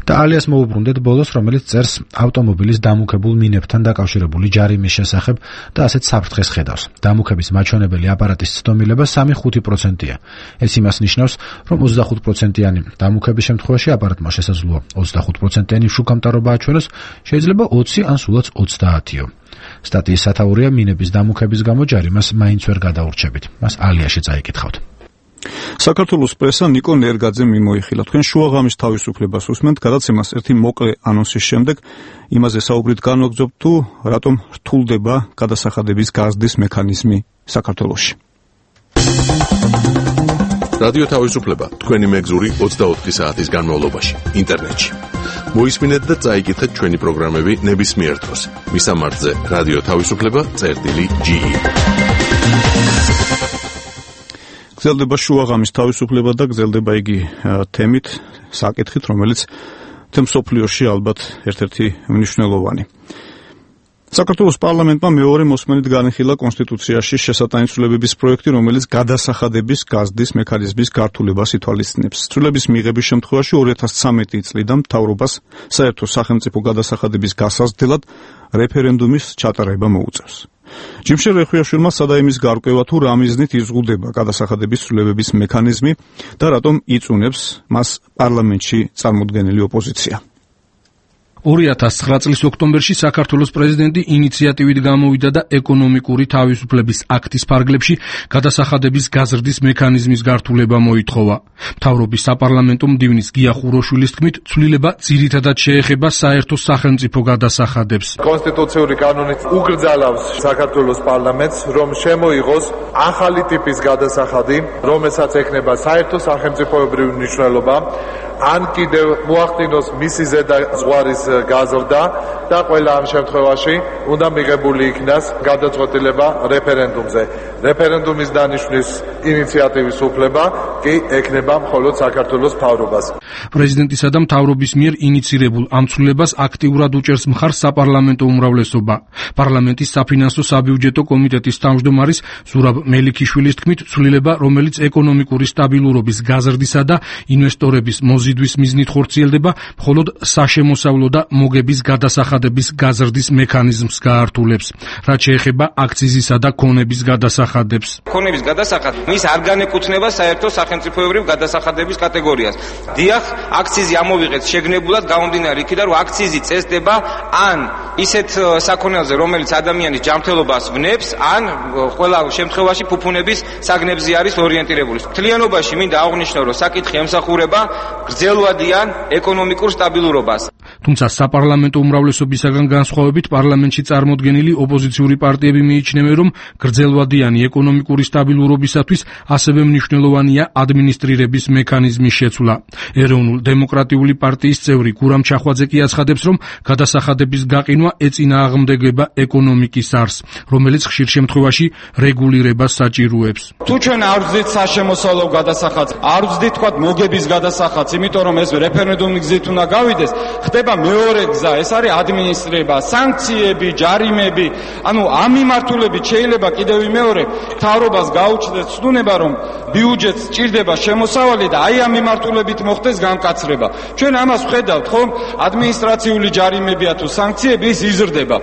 და ალიას მოუბრუნდეთ ბოლოს, რომელიც წერს ავტომობილის დამუქებულ მინებთან დაკავშირებული ჯარიმის შესახებ და ასეთ საფრთხეს ხედავს. დამუქების მაჩვენებელი აპარატის ცდომილება სამი ხუთი პროცენტია. ეს იმას ნიშნავს, რომ ოცდახუთ პროცენტიანი დამუქების შემთხვევაში აპარატმა შესაძლოა ოცდახუთ პროცენტიანი შუქამტარობა აჩვენოს, შეიძლება ოცი ან სულაც ოცდაათიო. სტატიის სათაურია მინების დამუქების გამო ჯარიმას მაინც ვერ გადაურჩებით. მას ალიაში წაიკითხავთ. საქართველოს პრესა ნიკო ნერგაძემ მიმოიხილა. თქვენ შუაღამის თავისუფლებას უსმენთ, გადაცემას ერთი მოკლე ანონსის შემდეგ იმაზე საუბრით განვაგრძობთ თუ რატომ რთულდება გადასახადების გაზრდის მექანიზმი საქართველოში. რადიო თავისუფლება თქვენი მეგზური ოცდაოთხი საათის განმავლობაში ინტერნეტში. მოისმინეთ და წაიკითხეთ ჩვენი პროგრამები ნებისმიერ დროს. მისამართზე რადიო თავისუფლება წერტილი ჯი. გრძელდება შუაღამის თავისუფლება და გრძელდება იგი თემით, საკითხით, რომელიც თემსოფლიოში ალბათ ერთ-ერთი მნიშვნელოვანი. საქართველოს პარლამენტმა მეორე მოსმენით განიხილა კონსტიტუციაში შესატანისწულებების პროექტი, რომელიც გადასახადების გაზრდის მექანიზმის გართულებას ითვალისწინებს. ცვლილების მიღების შემთხვევაში ორი ათას ცხრამეტი წლიდან მთავრობას საერთო სახელმწიფო გადასახადების გასაზრდელად რეფერენდუმის ჩატარება მოუწევს. ჯიმშე რეხვიაშვილმა სცადა იმის გარკვევა, თუ რა მიზნით იზღუდება გადასახადების ცვლილებების მექანიზმი და რატომ იწუნებს მას პარლამენტში წარმოდგენილი ოპოზიცია. ორი ათას ცხრა წლის ოქტომბერში საქართველოს პრეზიდენტი ინიციატივით გამოვიდა და ეკონომიკური თავისუფლების აქტის ფარგლებში გადასახადების გაზრდის მექანიზმის გართულება მოითხოვა. მთავრობის საპარლამენტო მდივნის გია ხუროშვილის თქმით, ცვლილება ძირითადად შეეხება საერთო სახელმწიფო გადასახადებს. კონსტიტუციური კანონით უგრძალავს საქართველოს პარლამენტს, რომ შემოიღოს ახალი ტიპის გადასახადი, რომელსაც ექნება საერთო სახელმწიფოებრივი მნიშვნელობა, ან კიდევ მოახდინოს მისი ზედა ზღვარის გაზრდა და ყველა ამ შემთხვევაში უნდა მიღებული იქნას გადაწყვეტილება რეფერენდუმზე. რეფერენდუმის დანიშვნის ინიციატივის უფლება კი ექნება მხოლოდ საქართველოს მთავრობას. პრეზიდენტისა და მთავრობის მიერ ინიცირებულ ამ ცვლილებას აქტიურად უჭერს მხარს საპარლამენტო უმრავლესობა. პარლამენტის საფინანსო საბიუჯეტო კომიტეტის თავმჯდომარის ზურაბ მელიქიშვილის თქმით, ცვლილება, რომელიც ეკონომიკური სტაბილურობის გაზრდისა და ინვესტორების მოზიდვის მიზნით ხორციელდება, მხოლოდ საშემოსავლო და მოგების გადასახადების გაზრდის მექანიზმს გაართულებს. რაც შეეხება აქციზისა და ქონების გადასახადებს. ქონების გადასახადი მის არ განეკუთვნება საერთო სახელმწიფოებრივ გადასახადების კატეგორიას. დიახ, აქციზი ამოვიღეთ შეგნებულად გამომდინარე იქიდან, რომ აქციზი წესდება ან ისეთ საქონელზე, რომელიც ადამიანის ჯანმრთელობას ვნებს, ან ყველა შემთხვევაში ფუფუნების საგნებზე არის ორიენტირებული. მთლიანობაში მინდა აღვნიშნო, რომ საკითხი ემსახურება გრძელვადიან ეკონომიკურ სტაბილურობას. თუმცა საპარლამენტო უმრავლესობისაგან განსხვავებით პარლამენტში წარმოდგენილი ოპოზიციური პარტიები მიიჩნევენ, რომ გრძელვადიანი ეკონომიკური სტაბილურობისათვის ასევე მნიშვნელოვანია ადმინისტრირების მექანიზმის შეცვლა. ეროვნულ დემოკრატიული პარტიის წევრი გურამ ჩახვაძე კი აცხადებს, რომ გადასახადების გაყინვა ეწინააღმდეგება ეკონომიკის არსს, რომელიც ხშირ შემთხვევაში რეგულირებას საჭიროებს. თუ ჩვენ არ ვზდით საშემოსავლო გადასახადს, არ ვზდით თქვა მოგების გადასახადს, იმიტომ რომ ეს რეფერენდუმის გზით უნდა გავიდეს, ხდება მეორე გზა, ეს არის ადმინისტრირება, სანქციები, ჯარიმები. ანუ ამ მიმართულებით შეიძლება კიდევ მეორე მთავრობას გაუჩნდეს ცდუნება, რომ ბიუჯეტს სჭირდება შემოსავალი და აი ამ მიმართულებით მოხდეს განკაცრება. ჩვენ ამას ვხედავთ, ხომ? ადმინისტრაციული ჯარიმებია თუ სანქციები ის იზრდება.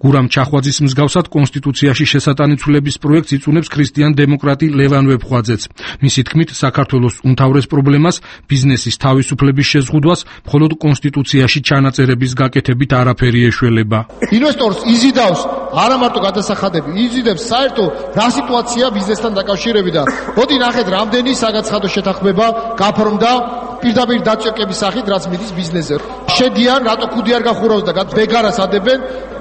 გურამ ჩახვაძის მსგავსად კონსტიტუციაში შესატანიცულების პროექტს იწუნებს ქრისტიან დემოკრატი ლევან ვეფხვაძეც. მისი თქმით, საქართველოს უმთავრეს პრობლემას ბიზნესის თავისუფლების შეზღუდვას მხოლოდ კონსტიტუციაში ჩანაწერების გაკეთებით არაფერი ეშველება. ინვესტორს იზიდავს არა მარტო გადასახადები, იზიდებს საერთო რა სიტუაცია ბიზნესთან დაკავშირებით და მოდი ნახეთ რამდენი საგაცხადო შეთანხმება გაფორმდა პირდაპირ დაწესების სახით, რაც მიდის ბიზნესზე. შედიან, რატო ქუდი არ გახურავს და ბეგარას ადებენ,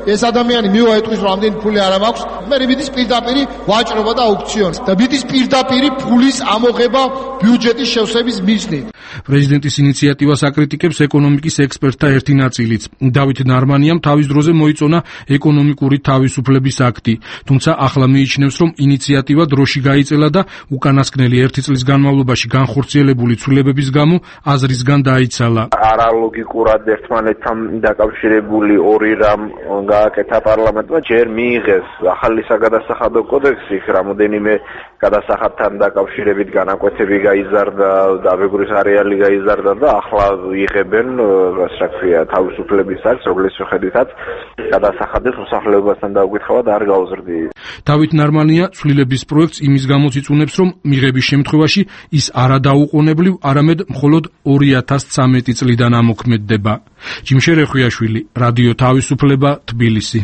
ეს ადამიანი მივაეტყვის, რომ ამდენი ფული არ მაქვს, მე მიდის პირდაპირი ვაჭრობა და აუქციონი და მიდის პირდაპირი ფულის ამოღება ბიუჯეტის შევსების მიზნით. პრეზიდენტის ინიციატივას აკრიტიკებს ეკონომიკის ექსპერტთა ერთი ნაწილიც. დავით ნარმანიამ თავის დროზე მოიწონა ეკონომიკური თავისუფლების აქტი, თუმცა ახლა მიიჩნევს, რომ ინიციატივა დროში გაიწელა და უკანასკნელი ერთი წლის განმავლობაში განხორციელებული ცვლილებების გამო აზრისგან დაიცალა. არალოგიკურად ერთმანეთთან დაკავშირებული ორი რამ გააკეთა პარლამენტმა, ჯერ მიიღეს ახალი საგადასახადო კოდექსი, რამოდენიმე გადასახადთან დაკავშირებით განაკვეთები გაიზარდა, დაბეგვრის არეალი გაიზარდა და ახლა იღებენ, ასე ქვია, თავისუფლების აქ, რომლის შეხედვითაც გადასახადის მოსახლეობასთან დაუკითხავად არ გაუზრდიეს. დავით ნარმანია ცვლილების პროექტს იმის გამოც იწუნებს, რომ მიღების შემთხვევაში ის არა დაუყოვნებლივ, არამედ მხოლოდ ორი ათას ცხრამეტი წლიდან ამოქმედდება. ჯიმშე რეხვიაშვილი, რადიო თავისუფლება, თბილისი.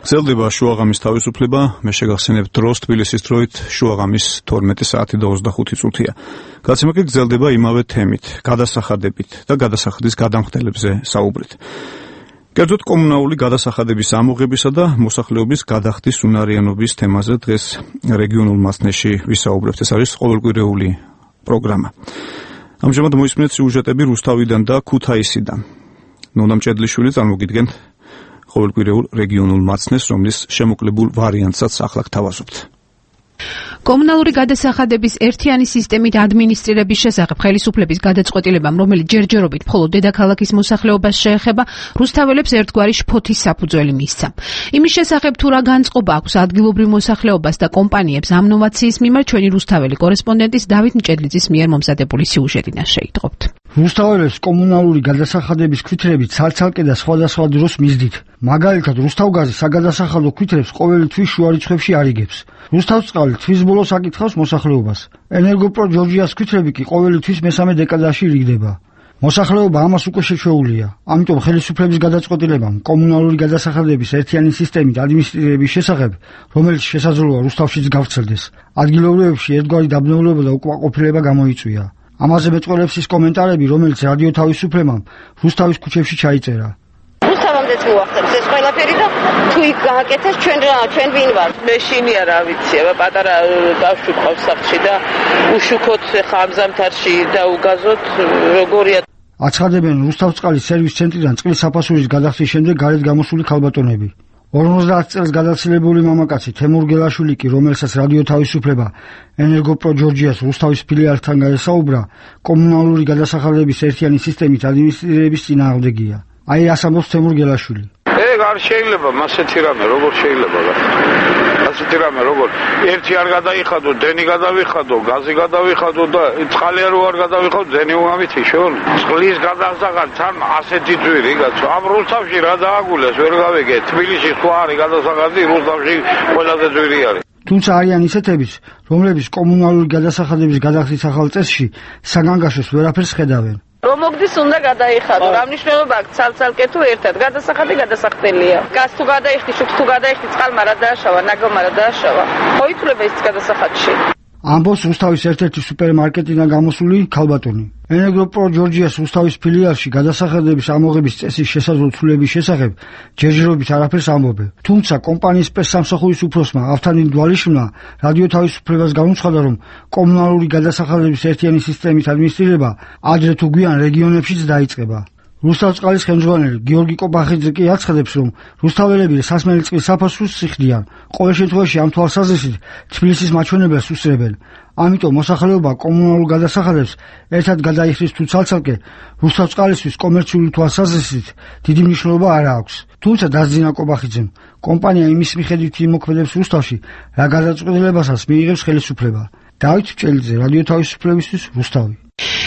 გრძელდება შუაღამის თავისუფლება, მე შეგახსენებ დროს თბილისის დროით შუაღამის თორმეტი საათი და ოცდახუთი წუთია. გადაცემა კი გრძელდება იმავე თემით, გადასახადებით და გადასახადის გადამხდელებზე საუბრით. კერძოდ კომუნალური გადასახადების ამოღებისა და მოსახლეობის გადახდის უნარიანობის თემაზე დღეს რეგიონულ მასწავლებლში ვისაუბრებთ. ეს არის ყოველკვირეული პროგრამა. ამჟამად მოისმინეთ სიუჟეტები რუსთავიდან და ქუთაისიდან. ნონამ ჭედლიშვილი წარმოგიდგენთ ყოველკვირეულ რეგიონულ მაცნეს, რომლის შემოკლებულ ვარიანტსაც ახლა გთავაზობთ. კომუნალური გადასახადების ერთიანი სისტემით ადმინისტრირების შესახებ ხელისუფლების გადაწყვეტილებამ, რომელიც ჯერჯერობით მხოლოდ დედაქალაქის მოსახლეობას შეეხება, რუსთაველებს ერთგვარი შფოთის საფუძველი მისცა. იმის შესახებ თუ რა განწყობა აქვს ადგილობრივ მოსახლეობას და კომპანიებს ამ ნოვაციის მიმართ, ჩვენი რუსთაველი კორესპონდენტის დავით მჭედლიძის მიერ მომზადებული სიუჟეტიდან შეიტყობთ. რუსთაველებს კომუნალური გადასახადების ქვითრებით ცალ-ცალკე და სხვადასხვა დროს მისდით. მაგალითად, რუსთავგაზი საგადასახადო ქვითრებს ყოველი თვის შუა რიცხვებში არიგებს. რუსთავწყალი თვის ბოლოს აკითხავს მოსახლეობას. ენერგოპრო ჯორჯიას ქვითრები კი ყოველი თვის მესამე დეკადაში რიგდება. მოსახლეობა ამას უკვე შეჩვეულია. ამიტომ ხელისუფლების გადაწყვეტილებამ კომუნალური გადასახადების ერთიანი სისტემით ადმინისტრირების შესახებ, რომელიც შესაძლოა რუსთავშიც გავრცელდეს, ადგილობრივებში ერთგვარი დაბნეულება და უკმაყოფილება გამოიწვია. ამაზე მეწყვილებს ის კომენტარები, რომელიც რადიო თავისუფლებამ რუსთავის ქუჩებში ჩაიწერა. რუსთავამდეც მოახერხეს ეს ყველაფერი და თუ იქ გააკეთეს ჩვენ რა ჩვენ ვინ ვართ? მე შინია რა ვიცი, აბა პატარა ბავშვი ყავს სახლში და უშუქოთ ხა ამ ზამთარში და უგაზოთ როგორია. აცხადებენ რუსთავწყალის სერვის ცენტრიდან წყლის საფასურის გადახდის შემდეგ გარეთ გამოსული ქალბატონები. ორმოცდაათ წელს გადაცილებული მამაკაცი თემურ გელაშვილი კი, რომელსაც რადიო თავისუფლება ენერგოპრო ჯორჯიას რუსთავის ფილიალთან გაესაუბრა, კომუნალური გადასახადების ერთიანი სისტემით ადმინისტრირების წინააღმდეგია. აი რას ამბობს თემურ გელაშვილი. ეგ არ შეიძლება მასეთი რამე, როგორ შეიძლება რა. ასეთი რამე როგორ ერთი არ გადაიხადო, დენი გადავიხადო, გაზი გადავიხადო და წყალი არ არ გადავიხადო, დენი უმამითიშონ. წყლის გადასახად თან ასეთი ძვირი გაცო. ამ რუსთავში რა დააგულეს, ვერ გავიგე. თბილისში სხვა არის გადასახადი, რუსთავში ყველაზე ძვირი არის. თუმცა არიან ისეთებიც, რომლებიც კომუნალური გადასახადების გადახდის ახალ წესში საგანგაშოს ვერაფერს ხედავენ. რომ მოგდის უნდა გადაიხადო. რა მნიშვნელობა აქვს ცალ-ცალკე თუ ერთად? გადასახადი გადასახდელია. გаз თუ გადაიხდი, შუქს თუ გადაიხდი, წყალმა რა დააშავა, ნაგავმა რა დააშავა. ხო ითვლება ის გადასახადში. ამბობს რუსთავის ერთ-ერთი სუპერმარკეტიდან გამოსული ქალბატონი. ენერგოპრო ჯორჯიას რუსთავის ფილიალში გადასახადების ამოღების წესის შესაძლო ცვლილების შესახებ ჯერჯერობით არაფერს ამბობენ. თუმცა კომპანიის პრესსამსახურის უფროსმა ავთანდილ დვალიშვილმა რადიო თავისუფლებას განუცხადა, რომ კომუნალური გადასახადების ერთიანი სისტემით ადმინისტრირება ადრე თუ გვიან რეგიონებშიც დაიწყება. რუსთავწყალის ხელმძღვანელი გიორგი კობახიძე კი აცხადებს, რომ რუსთაველები სასმელი წყლის საფასურს სიხდიან. ყოველ შემთხვევაში ამ თვალსაზრისით თბილისის მაჩვენებელს უსწრებენ. ამიტომ მოსახლეობა კომუნალურ გადასახადებს ერთად გადაიხდის თუ ცალ-ცალკე, რუსთავწყალისთვის კომერციული თვალსაზრისით დიდი მნიშვნელობა არ აქვს. თუმცა დასძინა კობახიძემ, კომპანია იმის მიხედვით იმოქმედებს რუსთავში, რა გადაწყვეტილებასაც მიიღებს ხელისუფლება. დავით მჭედლიძე, რადიო თავისუფლებისთვის, რუსთავი.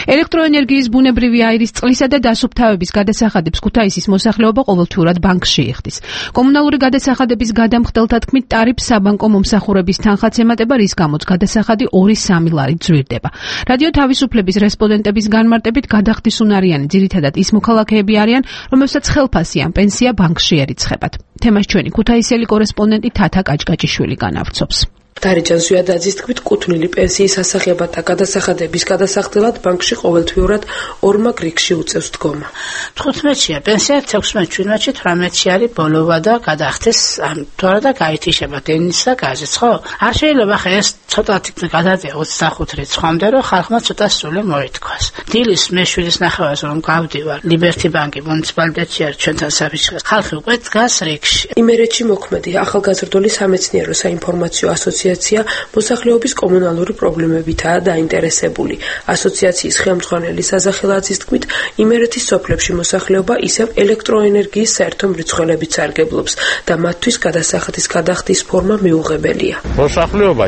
ელექტროენერგიის ბუნებრივი აირის წყლისა და დასუფთავების გადასახადებს ქუთაისის მოსახლეობა ყოველთვიურად ბანკში იხდის. კომუნალური გადასახადების გადამხდელთა თქმით, ტარიფს საბანკო მომსახურების თანხაც ემატება, რის გამოც გადასახადი ორი სამი ლარი ძვირდება. რადიო თავისუფლების რესპონდენტების განმარტებით, გადახდის უნარიანი ძირითადად ის მოქალაქეები არიან, რომელსაც ხელფასი ან პენსია ბანკში ერიცხებათ. თემას ჩვენი ქუთაისელი კორესპონდენტი თათა კაჭკაჭიშვილი განავრცობს. დარეჯან ზვიადაძის თქმით, კუთვნილი პენსიის ასაღებად და გადასახადების გადასახდელად ბანკში ყოველთვიურად ორმაგ რიგში უწევს დგომა. თხუთმეტშია პენსია, თექვსმეტ, შვიდმეტში, თვრამეტში არის ბოლოვა და გადახდეს ამ თორა და გაითიშება დენის და გაზიც, ხო? არ შეიძლება ხა ეს ცოტათი გადადია ოცდახუთ რიცხვამდე, რომ ხალხმა ცოტა სრული მოითქვას. დილის მეშვიდის ნახევარს რომ გავდივარ ლიბერტი ბანკი მუნიციპალიტეტში არის ჩვენთან საფიჩხეს. ხალხი უკვე დგას რიგში. იმერეთში მოქმედი ახალგაზრდული სამეცნიერო საინფორმაციო ასოციაცია მოსახლეობის კომუნალური პრობლემებითაა დაინტერესებული. ასოციაციის ხელმძღვანელი საზახელაძის თქმით, იმერეთის სოფლებში მოსახლეობა ისევ ელექტროენერგიის საერთო მრიცხველებით სარგებლობს და მათთვის გადასახადის გადახდის ფორმა მიუღებელია. მოსახლეობა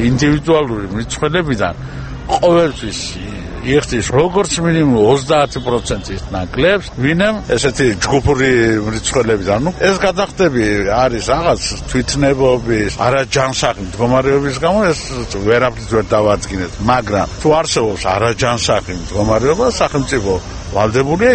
ინდივიდუალური მრიცხველებიდან ყოველთვის იხდის როგორც მინიმუმ ოცდაათი პროცენტის ნაკლებს, ვინემ ესეთი ჯგუფური მრიცხველებიდან. ნუ ეს გადახდები არის რაღაც თვითნებობის, არაჯანსაღი მდგომარეობის გამო ეს ვერაფრით ვერ დავადგინეთ, მაგრამ თუ არსებობს არაჯანსაღი მდგომარეობა, სახელმწიფო ვალდებულია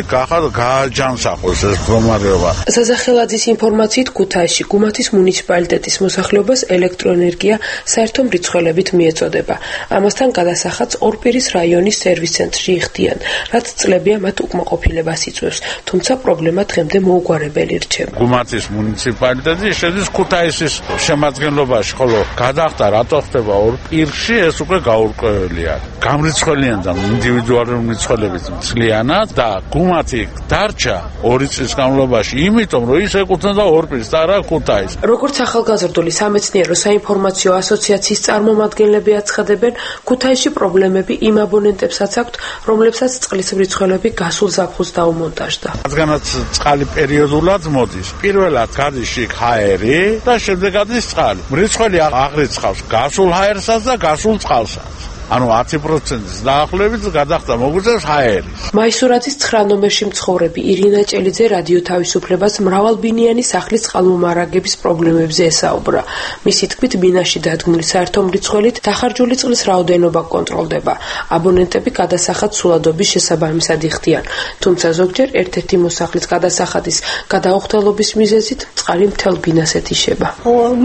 გააჯანსაღოს ეს მდგომარეობა. საზახელაძის ინფორმაციით ქუთაისში გუმათის მუნიციპალიტეტის მოსახლეობას ელექტროენერგია საერთო მრიცხველებით მიეწოდება. ამასთან გადასახადს ორპირის რაიონის სერვის ცენტრში იხდიან, რაც წლებია მათ უკმაყოფილებას იწვევს, თუმცა პრობლემა დღემდე მოუგვარებელი რჩება. გუმათის მუნიციპალიტეტი შედის ქუთაისის შემადგენლობაში, ხოლო გადახდა რატო ხდება ორპირში, ეს უკვე გაურკვეველია. გამრიცხველიან და ინდივიდუალური მრიცხველებით მცლიანად და გუმათი დარჩა ორი წლის განმავლობაში, იმიტომ რომ ის ეკუთვნოდა ორპირს და არა ქუთაისს. როგორც ახალგაზრდული სამეცნიერო საინფორმაციო ასოციაციის წარმომადგენლები აცხადებენ, ქუთაისში პრობლემები იმ აბონენტებსაც აქვთ, რომლებსაც წყლის მრიცხველები გასულ ზაფხულს დაუმონტაჟდა. რადგანაც წყალი პერიოდულად მოდის, პირველად გადის შიგ ჰაერი და შემდეგ გადის წყალი. მრიცხველი აღრიცხავს გასულ ჰაერსაც და გასულ წყალსაც. ანუ ათი პროცენტის დაახლოებით გადახდა მოგვიწევს ჰაერის. მაისურაძის ცხრა ნომერში მცხოვრები ირინა ჭელიძე რადიო თავისუფლებას მრავალბინიანი სახლის წყალმომარაგების პრობლემებზე ესაუბრა. მისი თქმით, ბინაში დადგმული საერთო მრიცხველით დახარჯული წყლის რაოდენობა კონტროლდება. აბონენტები გადასახადს სულადობის შესაბამისად იხდიან, თუმცა ზოგჯერ ერთ-ერთი მოსახლის გადასახადის გადაუხდელობის მიზეზით წყალი მთელ ბინას ეთიშება.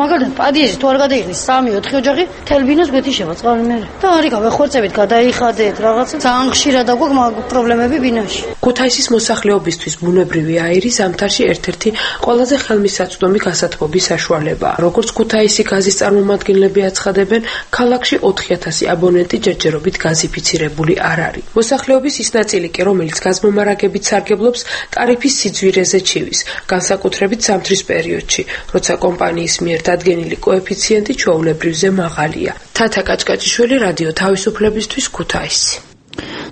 მაგალითად, პადიეჟი თუ არ გადაიხდის სამი ოთხი ოჯახი მთელ ბინას გვეთიშება წყალი მერე. და არის გავეხორცებით, გადაიხადეთ, რაღაცა ძალიან ხშირად აგვაქვს მაგ პრობლემები ბინაში. ქუთაისის მოსახლეობისთვის ბუნებრივი აირი ზამთარში ერთ-ერთი ყველაზე ხელმისაწვდომი გასათბობის საშუალებაა. როგორც ქუთაისი გაზის წარმომადგენლები აცხადებენ, ქალაქში ოთხი ათასი აბონენტი ჯერჯერობით გაზიფიცირებული არ არის. მოსახლეობის ის ნაწილი კი, რომელიც გაზმომარაგებით სარგებლობს, ტარიფის სიძვირეზე ჩივის, განსაკუთრებით ზამთრის პერიოდში, როცა კომპანიის მიერ დადგენილი კოეფიციენტი ჩვეულებრივზე მაღალია. თათა კაჭკაჭიშვილი, რადიო თავისუფლებისთვის, ქუთაისი.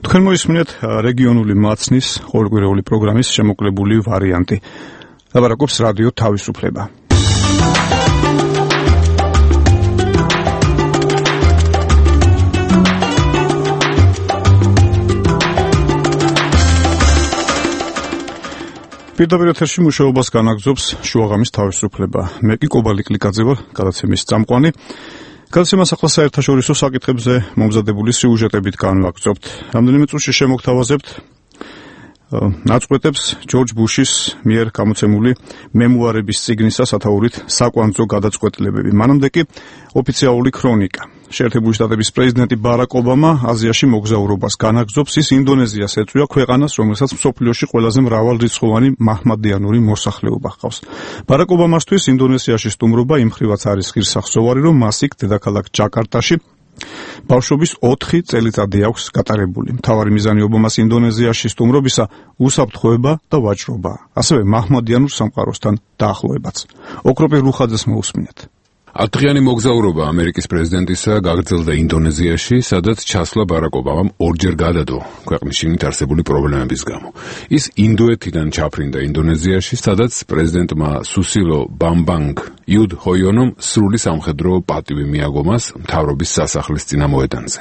თქვენ მოისმინეთ რეგიონული მაცნის ყოველკვირეული პროგრამის შემოკლებული ვარიანტი. ლაპარაკობს რადიო თავისუფლება. პირდაპირ ეთერში მუშაობას განაგრძობს შუაღამის თავისუფლება. მე კი კობალი კლიკაძე ვარ, გადაცემის წამყვანი. გადაცემას ახლა საერთაშორისო საკითხებზე მომზადებული სიუჟეტებით განვაგრძობთ. რამდენიმე წუთში შემოგთავაზებთ ნაწყვეტებს ჯორჯ ბუშის მიერ გამოცემული მემუარების წიგნისა სათაურით საკვანძო გადაწყვეტილებები. მანამდე კი ოფიციალური ქრონიკა. შეერთებული შტატების პრეზიდენტი ბარაკ ობამა აზიაში მოგზაურობას განაგრძობს. ის ინდონეზიას ეწვია, ქვეყანას, რომელსაც მსოფლიოში ყველაზე მრავალრიცხოვანი მაჰმადიანური მოსახლეობა ჰყავს. ბარაკ ობამასთვის ინდონეზიაში სტუმრობა იმ მხრივაც არის ღირსახსოვარი, რომ მას იქ დედაქალაქ ჯაკარტაში ბავშვობის ოთხი წელიწადი აქვს გატარებული. მთავარი მიზანი ობამას ინდონეზიაში სტუმრობისა უსაფრთხოება და ვაჭრობა, ასევე მაჰმადიანურ სამყაროსთან დაახლოებაც. ოქროპი რუხაძეს მოусმინეთ. ათდღიანი მოგზაურობა ამერიკის პრეზიდენტისა გაგრძელდა ინდონეზიაში, სადაც ჩასვლა ბარაკ ობამამ ორჯერ გადადო ქვეყნის შიგნით არსებული პრობლემების გამო. ის ინდოეთიდან ჩაფრინდა ინდონეზიაში, სადაც პრეზიდენტმა სუსილო ბამბანგ იუდჰოიონომ სრული სამხედრო პატივი მიაგო მას მთავრობის სასახლის წინამოედანზე.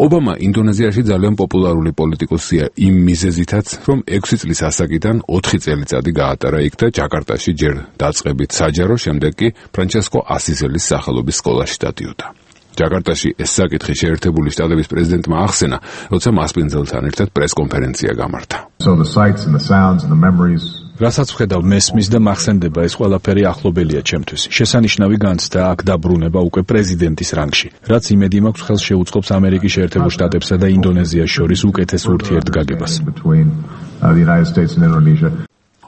ობამა ინდონეზიაში ძალიან პოპულარული პოლიტიკოსია იმ მიზეზითაც, რომ ექვსი წლის ასაკიდან ოთხი წელიწადი გაატარა იქ და ჯაკარტაში ჯერ დაწყებით საჯარო, შემდეგ კი ფრანჩესკო ასისელის სახელობის სკოლაში დადიოდა. ჯაკარტაში ეს საკითხი შეერთებული შტატების პრეზიდენტმა ახსენა, როცა მასპინძელთან ერთად პრესკონფერენცია გამართა. So the sights and the sounds and the memories რასაც ვხედავ მესმის და მახსენდება ეს ყველაფერი ახლობელია ჩემთვის. შესანიშნავი განცდა აქ დაბრუნება უკვე პრეზიდენტის რანგში, რაც იმედი მაქვს ხელს შეუწყობს ამერიკის შეერთებულ შტატებსა და ინდონეზიას შორის უკეთეს ურთიერთგაგებას.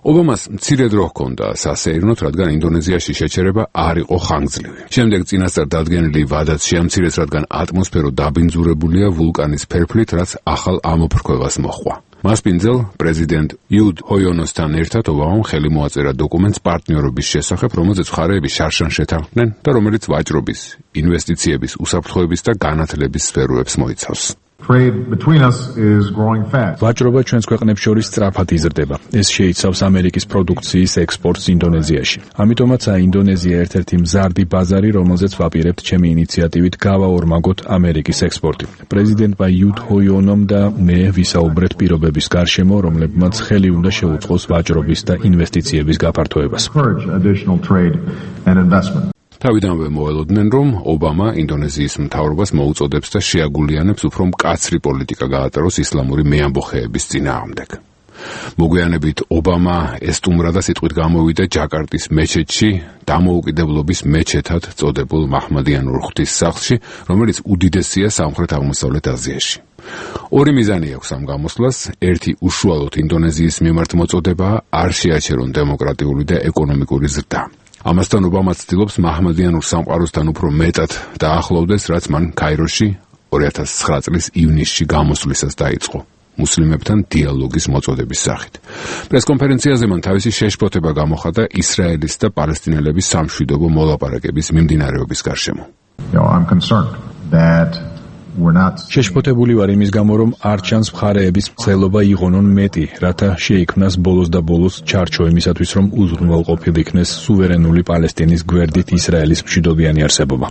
ობამას მცირე დრო ჰქონდა სასეირნოდ, რადგან ინდონეზიაში შეჩერება არ იყო ხანგრძლივი. შემდეგ წინასწარ დადგენილი ვადაც შეამცირეს, რადგან ატმოსფერო დაბინძურებულია ვულკანის ფერფლით, რაც ახალ ამოფრქვევას მოჰყვა. მასპინძელ პრეზიდენტ იუდ ჰოიონოსთან ერთად ობამამ ხელი მოაწერა დოკუმენტს პარტნიორობის შესახებ, რომელზეც მხარეები შარშან შეთანხმდნენ და რომელიც ვაჭრობის, ინვესტიციების, უსაფრთხოების და განათლების სფეროებს მოიცავს. ვაჭრობა ჩვენს ქვეყნებს შორის სწრაფად იზრდება. ეს შეიცავს ამერიკის პროდუქციის ექსპორტს ინდონეზიაში. ამიტომაცაა ინდონეზია ერთ-ერთი მზარდი ბაზარი, რომელზეც ვაპირებთ ჩემი ინიციატივით გავაორმაგოთ ამერიკის ექსპორტი. პრეზიდენტმა იუდ ჰოიონომ და მე ვისაუბრეთ პირობების გარშემო, რომლებმაც ხელი უნდა შეუწყოს ვაჭრობის და ინვესტიციების გაფართოებას. თავიდანვე მოელოდნენ, რომ ობამა ინდონეზიის მთავრობას მოუწოდებს და შეაგულიანებს უფრო მკაცრი პოლიტიკა გაატაროს ისლამური მეამბოხეების წინააღმდეგ. მოგვიანებით ობამა ესტუმრა და სიტყვით გამოვიდა ჯაკარტის მეჩეთში, დამოუკიდებლობის მეჩეთად წოდებულ მაჰმადიანურ ღვთისმსახურში, რომელიც უდიდესია სამხრეთ-აღმოსავლეთ აზიაში. ორი მიზანი აქვს ამ გამოსვლას, ერთი უშუალოდ ინდონეზიის მიმართ მოწოდებაა, არ შეაჩერონ დემოკრატიული და ეკონომიკური ზრდა. ამასთან ობამა ცდილობს მაჰმადიანურ სამყაროსთან უფრო მეტად დაახლოვდეს, რაც მან ქაიროში ორი ათას ცხრა წლის ივნისში გამოსვლისას დაიწყო, მუსლიმებთან დიალოგის მოწოდების სახით. პრესკონფერენციაზე მან თავისი შეშფოთება გამოხატა ისრაელის და პალესტინელების სამშვიდობო მოლაპარაკების მიმდინარეობის გარშემო. შეშფოთებული ვარ იმის გამო, რომ არ ჩანს მხარეების მცდელობა იღონონ მეტი, რათა შეიქმნას ბოლოს და ბოლოს ჩარჩო იმისათვის, რომ უზრუნველყოფილ იქნეს სუვერენული პალესტინის გვერდით ისრაელის მშვიდობიანი არსებობა.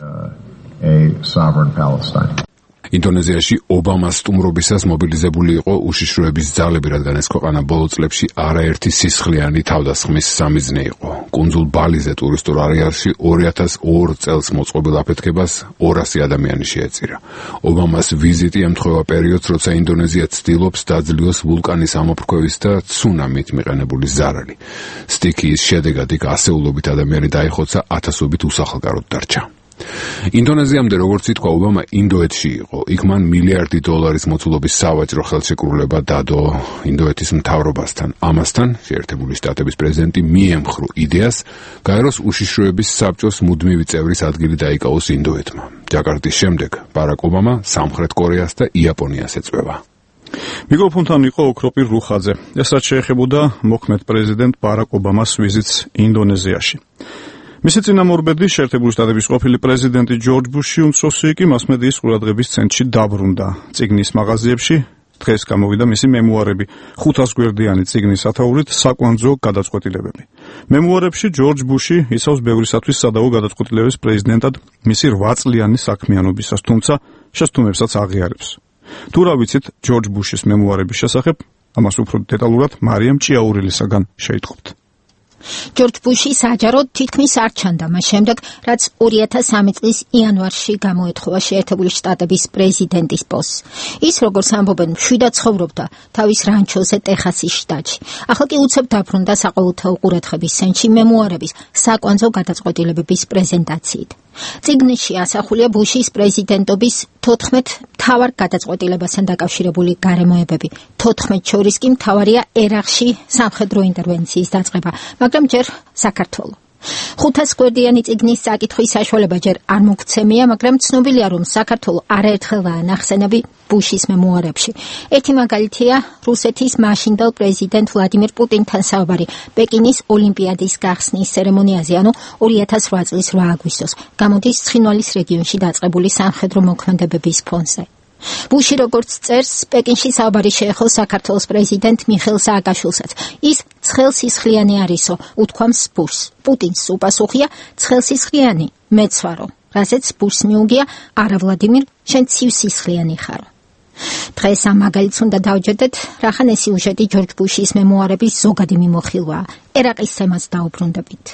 ინდონეზიაში ობამას სტუმრობისას მობილიზებული იყო უშიშროების ძალები, რადგან ეს ქვეყანა ბოლო წლებში არაერთი სისხლიანი თავდასხმის სამიზნე იყო. კუნძულ ბალიზე ტურისტულ არეალში ორი ათას ორ წელს მოწყობილ აფეთქებას ორასი ადამიანი შეეწირა. ობამას ვიზიტი ემთხვევა პერიოდს, როცა ინდონეზია ცდილობს დაძლიოს ვულკანის ამოფრქვევის და ცუნამით მიყენებული ზარალი. სტიქიის შედეგად იქ ასეულობით ადამიანი დაიხოცა, ათასობით უსახლკაროდ დარჩა. ინდონეზიამდე, როგორც ითქვა, ობამა ინდოეთში იყო. იქ მან მილიარდი დოლარის მოცულობის სავაჭრო ხელშეკრულება დადო ინდოეთის მთავრობასთან. ამასთან შეერთებული შტატების პრეზიდენტი მიემხრო იდეას, გაეროს უშიშროების საბჭოს მუდმივი წევრის ადგილი დაიკავოს ინდოეთმა. ჯაკარტის შემდეგ ბარაკ ობამა სამხრეთ კორეას და იაპონიას ეწვევა. მიკროფონთან იყო ოქროპირ რუხაძე. ეს რაც შეეხებოდა მოქმედ პრეზიდენტ ბარაკ ობამას ვიზიტს ინდონეზიაში. მისი წინამორბედი შეერთებული შტატების ყოფილი პრეზიდენტი ჯორჯ ბუში უმცროსი კი მასმედიის ყურადღების ცენტრში დაბრუნდა. წიგნის მაღაზიებში დღეს გამოვიდა მისი მემუარები, ხუთას გვერდიანი წიგნის ათაურით საკვანძო გადაწყვეტილებები. მემუარებში ჯორჯ ბუში იცავს ბევრისათვის სადავო გადაწყვეტილების პრეზიდენტად მისი რვა წლიანი საქმიანობისას, თუმცა შესტუმებსაც აღიარებს. თუ რა ვიცით ჯორჯ ბუშის მემუარების შესახებ, ამას უფრო დეტალურად მარიამ ჭიაურელისაგან შეიტყობთ. ჯორჯ ბუში საჯაროდ თითქმის არ ჩანდა მას შემდეგ, რაც ორი ათას სამი წლის იანვარში გამოეთხოვა შეერთებული შტატების პრეზიდენტის პოსტს. ის, როგორც ამბობენ, მშვიდად ცხოვრობდა თავის რანჩოზე ტეხასის შტატში. ახლა კი უცებ დაბრუნდა საყოველთაო ყურადღების ცენტრში მემუარების საკვანძო გადაწყვეტილებების პრეზენტაციით. წიგნში ასახულია ბუშის პრეზიდენტობის თოთხმეტ მთავარ გადაწყვეტილებასთან დაკავშირებული გარემოებები. თოთხმეტ შორის კი მთავარია ერაყში სამხედრო ინტერვენციის დაწყება, მაგრამ ჯერ საქართველო. ხუთას გვერდიანი წიგნის საკითხვის საშუალება ჯერ არ მოგცემია, მაგრამ ცნობილია, რომ საქართველო არაერთხელაა ნახსენები ბუშის მემუარებში. ერთი მაგალითია რუსეთის მაშინდელ პრეზიდენტ ვლადიმერ პუტინთან საუბარი პეკინის ოლიმპიადის გახსნის ცერემონიაზე, ანუ ორი ათას რვა წლის რვა აგვისტოს, გამოდის ცხინვალის რეგიონში დაწყებული სამხედრო მოქმედებების ფონზე. ბუში როგორც წერს, პეკინში საუბარი შეეხო საქართველოს პრეზიდენტ მიხეილ სააკაშვილსაც. ის ცხელსისხლიანი არისო, უთქვამს ბუშს. პუტინს უპასუხია ცხელსისხლიანი, მეც ვარო. რასაც ბუშს მიუგია, არა ვლადიმირ, შენ ცივსისხლიანი ხარო. დღეს ამ მაგალითს უნდა დავჯერდეთ, რახან ეს სიუჟეტი ჯორჯ ბუშის მემუარების ზოგადი მიმოხილვაა. ერაყის თემას დაუბრუნდებით.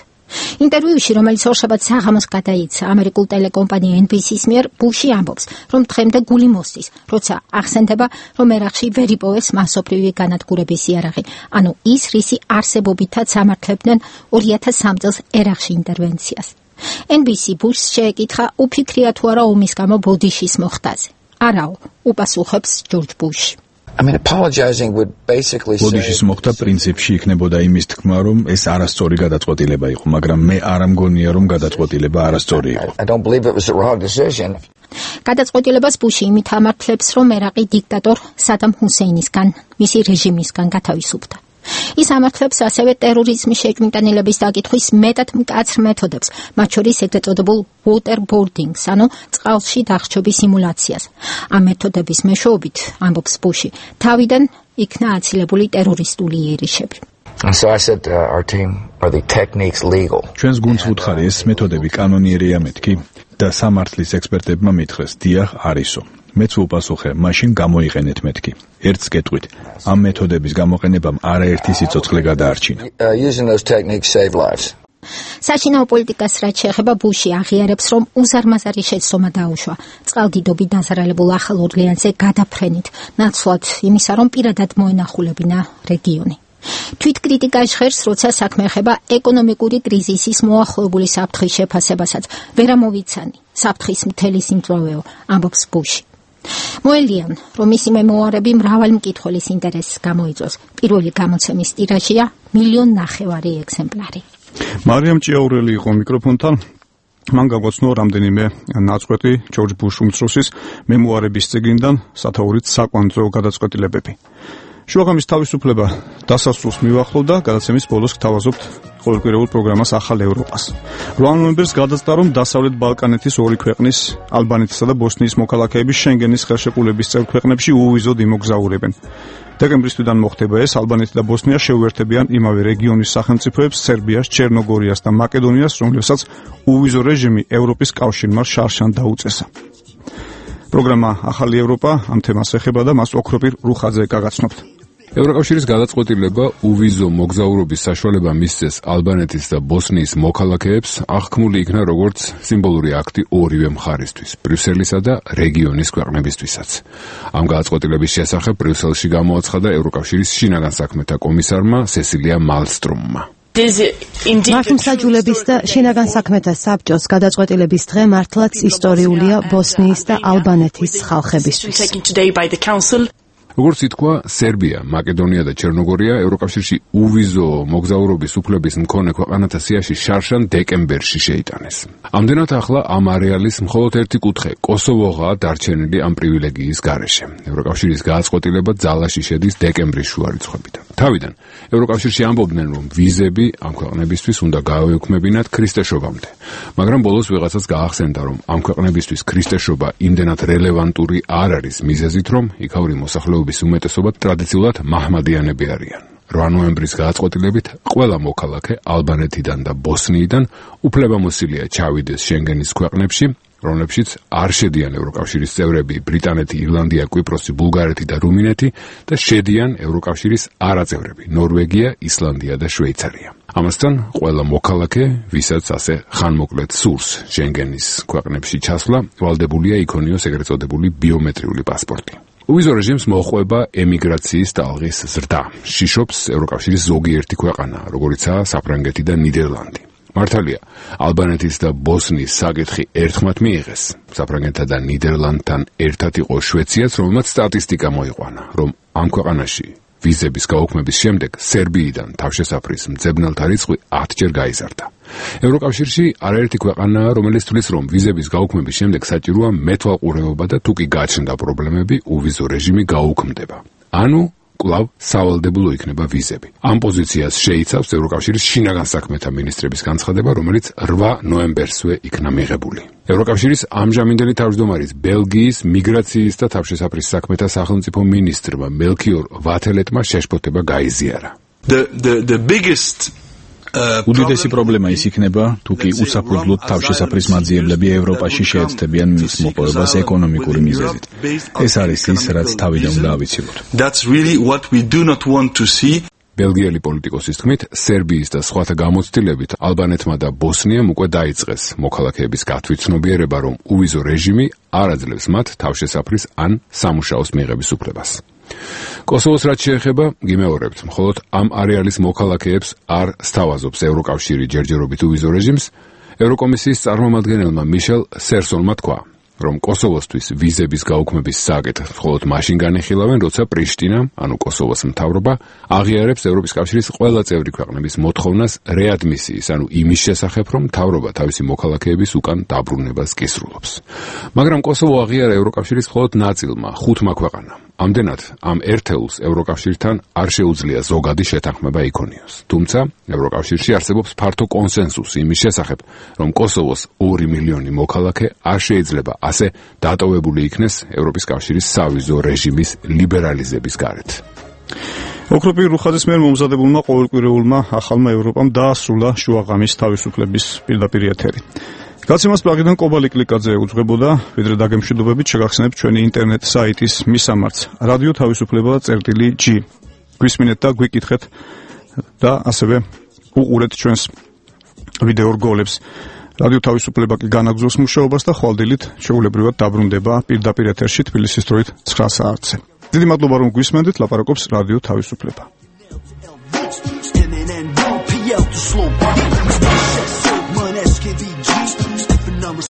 ინტერვიუში, რომელიც ორშაბათს საღამოს გადაიცა ამერიკულ ტელეკომპანია ენ ბი სი-ის მიერ, ბუში ამბობს, რომ დღემდე გული მოსდის, როცა ახსენდება, რომ ერაყში ვერ იპოვეს მასობრივი განადგურების იარაღი, ანუ ის, რისი არსებობითაც ამართლებდნენ ორი ათას სამ წელს ერაყში ინტერვენციას. ენ ბი სი ბუშს შეეკითხა, უფიქრია თუ არა ომის გამო ბოდიშის მოხდაზე. არაო, უპასუხებს ჯორჯ ბუში. I mean, apologizing would basically say... ბოდიშის მოხდა პრინციპში იქნებოდა იმის თქმა, რომ ეს არასწორი გადაწყვეტილება იყო, მაგრამ მე არ ამგონია, რომ გადაწყვეტილება არასწორი იყო. I don't believe it was the wrong decision. გადაწყვეტილებას ბუში იმით ამართლებს, რომ ერაყი დიქტატორ სადამ ჰუსეინისგან, მისი რეჟიმისგან გათავისუფლდა. ის ამართლებს ასევე ტერორიზმის შეჭმიტანილების დაკითხვის მეტად მკაცრ მეთოდებს, მათ შორის ეგრეთ წოდებულ waterboarding-ს, ანუ წყალში დახშობის სიმულაციას. ამ მეთოდების მეშვეობით, ამბობს ბუში, თავიდან იქნა აცილებული ტერორისტული იერიშები. And so I said uh, our team, are the techniques legal? ჩვენს გუნდს ვუთხარი, ეს მეთოდები კანონიერია მეთქი და სამართლის ექსპერტებმა მითხრეს, დიახ, არისო. მეც ვუპასუხე, მაშინ გამოიყენეთ მეთქი. ერთს გეტყვით, ამ მეთოდების გამოყენებამ არაერთი სიცოცხლე გადაარჩინა. Using those techniques save lives. საშინაო პოლიტიკას რაც შეეხება, ბუში აღიარებს, რომ უზარმაზარი შეცდომა დაუშვა წყალდიდობით დაზარალებულ ახალ ორლეანზე გადაფრენით, ნაცვლად იმისა, რომ პირადად მოენახულებინა რეგიონი. თვითკრიტიკა ჟღერს, როცა საქმე ეხება ეკონომიკური კრიზისის მოახლოებული საფრთხის შეფასებასაც. ვერ ამოვიცანი, საფრთხის მთელი სიმძლავრეო, ამბობს ბუში. მოელიან, რომ მისი მემუარები მრავალი მკითხველის ინტერესს გამოიწვევს. პირველი გამოცემის ტირაჟია მილიონ ნახევარი ეგზემპლარი. მარიამ ჭიაურელი იყო მიკროფონთან. მან გამოცნო რამდენიმე ნაწყვეტი ჯორჯ ბუშ უმცროსის მემუარების წიგნიდან, სათაურით საკვანძო გადაწყვეტილებები. შუაღამის თავისუფლება დასასრულს მივახლოვდა, გადაცემის ბოლოს გთავაზობთ ყოველკვირეულ პროგრამას ახალ ევროპას. რვა ნოემბერს გადაწყდა, რომ დასავლეთ ბალკანეთის ორი ქვეყნის, ალბანეთისა და ბოსნიის მოქალაქეები შენგენის ხელშეკრულების წევრ ქვეყნებში უვიზოდ იმოგზაურებენ. დეკემბრის თვიდან მოხდება ეს, ალბანეთი და ბოსნია შეუერთებიან იმავე რეგიონის სახელმწიფოებს, სერბიას, ჩერნოგორიას და მაკედონიას, რომლებსაც უვიზო რეჟიმი ევროპის კავშირმა შარშან დაუწესა. პროგრამა ახალი ევროპა ამ თემას ეხება და მას ოქროპირ რუხაძე გაგაცნობთ. ევროკავშირის გადაწყვეტილება უვიზო მოგზაურობის საშუალება მისცეს ალბანეთის და ბოსნიის მოქალაქეებს აღქმული იქნა როგორც სიმბოლური აქტი ორივე მხარისთვის, ბრიუსელისა და რეგიონის ქვეყნებისთვისაც. ამ გადაწყვეტილების შესახებ ბრიუსელში გამოაცხადა ევროკავშირის შინაგან საქმეთა კომისარმა სესილია მალსტრომმა. მართლმსაჯულების და შინაგან საქმეთა საბჭოს გადაწყვეტილების დღე მართლაც ისტორიულია ბოსნიის და ალბანეთის ხალხებისთვის. როგორც ითქვა, სერბია, მაკედონია და ჩერნოგორია ევროკავშირში უვიზო მოგზაურობის უფლების მქონე ქვეყანათა სიაში შარშან დეკემბერში შეიტანეს. ამდენად ახლა ამ არეალის მხოლოდ ერთი კუთხე, კოსოვოღაა დარჩენილი ამ პრივილეგიის გარეშე. ევროკავშირის გადაწყვეტილება ძალაში შედის დეკემბრის შუა რიცხვებით. თავიდან ევროკავშირში ამბობდნენ, რომ ვიზები ამ ქვეყნებისთვის უნდა გაეუქმებინათ ქრისტეშობამდე. მაგრამ ბოლოს ვიღაცას გაახსენდა, რომ ამ ქვეყნებისთვის ქრისტეშობა იმდენად რელევანტური არ არის მიზეზით, რომ იქაური მოსახლეობის უმეტესობა ტრადიციულად მაჰმადიანები არიან. რვა ნოემბრის გადაწყვეტილებით ყველა მოქალაქე ალბანეთიდან და ბოსნიიდან უფლებამოსილია ჩავიდეს შენგენის ქვეყნებში, რომლებშიც არ შედიან ევროკავშირის წევრები ბრიტანეთი, ირლანდია, კვიპროსი, ბულგარეთი და რუმინეთი და შედიან ევროკავშირის არაწევრები ნორვეგია, ისლანდია და შვეიცარია. ამასთან ყველა მოქალაქე, ვისაც ასე ხანმოკლედ სურს შენგენის ქვეყნებში ჩასვლა, ვალდებულია იქონიოს ეგრეთ წოდებული ბიომეტრიული პასპორტი. უვიზო რეჟიმს მოჰყვება ემიგრაციის ტალღის ზრდა. შიშობს ევროკავშირის ზოგიერთი ქვეყანა, როგორიცაა საფრანგეთი და ნიდერლანდი. მართალია, ალბანეთის და ბოსნიის საკითხი ერთხმად მიიღეს. საფრანგეთთან და ნიდერლანდთან ერთად იყო შვეციაც, რომელმაც სტატისტიკა მოიყვანა, რომ ამ ქვეყანაში ვიზების გაუქმების შემდეგ სერბიიდან თავშესაფრის მძებნელთა რიცხვი ათჯერ გაიზარდა. ევროკავშირში არაერთი ქვეყანაა, რომელიც თვლის, რომ ვიზების გაუქმების შემდეგ საჭიროა მეთვალყურეობა და თუ კი გაჩნდა პრობლემები, უვიზო რეჟიმი გაუქმდება. ანუ კვლავ სავალდებულო იქნება ვიზები. ამ პოზიციას შეიცავს ევროკავშირის შინაგან საქმეთა მინისტრების განცხადება, რომელიც რვა ნოემბერსვე იქნა მიღებული. ევროკავშირის ამჟამინდელი თავმჯდომარის ბელგიის მიგრაციის და თავშესაფრის საქმეთა სახელმწიფო მინისტრმა მელქიორ ვათელეტმა შეშფოთება გაიზიარა. The the the biggest უდიდესი პრობლემა ის იქნება, თუ კი უსაფუძვლოდ თავშესაფრის მაძიებლები ევროპაში შეეცდებიან მის მოპოვებას ეკონომიკური მიზეზით. ეს არის ის, რაც თავიდან უნდა ავიცილოთ. That's really what we do not want to see. ბელგიელი პოლიტიკოსის თქმით, სერბიის და სხვათა გამოცდილებით ალბანეთმა და ბოსნიამ უკვე დაიწყეს მოქალაქეების გათვითცნობიერება, რომ უვიზო რეჟიმი არ აძლევს მათ თავშესაფრის ან სამუშაოს მიღების უფლებას. კოსოვოს რაც შეეხება, გიმეორებთ, მხოლოდ ამ არეალის მოქალაქეებს არ სთავაზობს ევროკავშირი ჯერჯერობით უვიზო რეჟიმს. ევროკომისიის წარმომადგენელმა მიშელ სერსონმა თქვა, რომ კოსოვოსთვის ვიზების გაუქმების საკითხს მხოლოდ მაშინ განიხილავენ, როცა პრიშტინა, ანუ კოსოვოს მთავრობა, აღიარებს ევროპის კავშირის ყველა წევრი ქვეყნების მოთხოვნას რეადმისიის, ანუ იმის შესახებ, რომ მთავრობა თავისი მოქალაქეების უკან დაბრუნებას კისრულობს. მაგრამ კოსოვო აღიარა ევროკავშირის მხოლოდ ნაწილმა, ხუთმა ქვეყანამ. ამდენად, ამ ერთეულს ევროკავშირთან არ შეუძლია ზოგადი შეთანხმება იქონიოს. თუმცა, ევროკავშირში არსებობს ფართო კონსენსუსი იმის შესახებ, რომ კოსოვოს ორი მილიონი მოქალაქე არ შეიძლება ასე დატოვებული იქნეს ევროპის კავშირის სავიზო რეჟიმის ლიბერალიზების გარეთ. ოქროპირ რუხაძის მიერ მომზადებულმა ყოველკვირეულმა ახალმა ევროპამ დაასრულა შუაღამის თავისუფლების პირდაპირ ეთერი. გაცემას პლაგიდან კობალი კლიკაძე უძღვებოდა, ვიდრე დაგემშვიდობებით შეგახსენებთ ჩვენი ინტერნეტ საიტის მისამართს რადიო თავისუფლება წერტილი ჯი. გვისმინეთ და გვიკითხეთ და ასევე უყურეთ ჩვენს ვიდეო რგოლებს. რადიო თავისუფლება კი განაგზავს მუშაობას და ხვალდილით შეუულებრივად დაბრუნდება პირდაპირ ეთერში თბილისის დროით ცხრა საათზე. დიდი მადლობა რომ გვისმენდით, ლაპარაკობს რადიო თავისუფლება.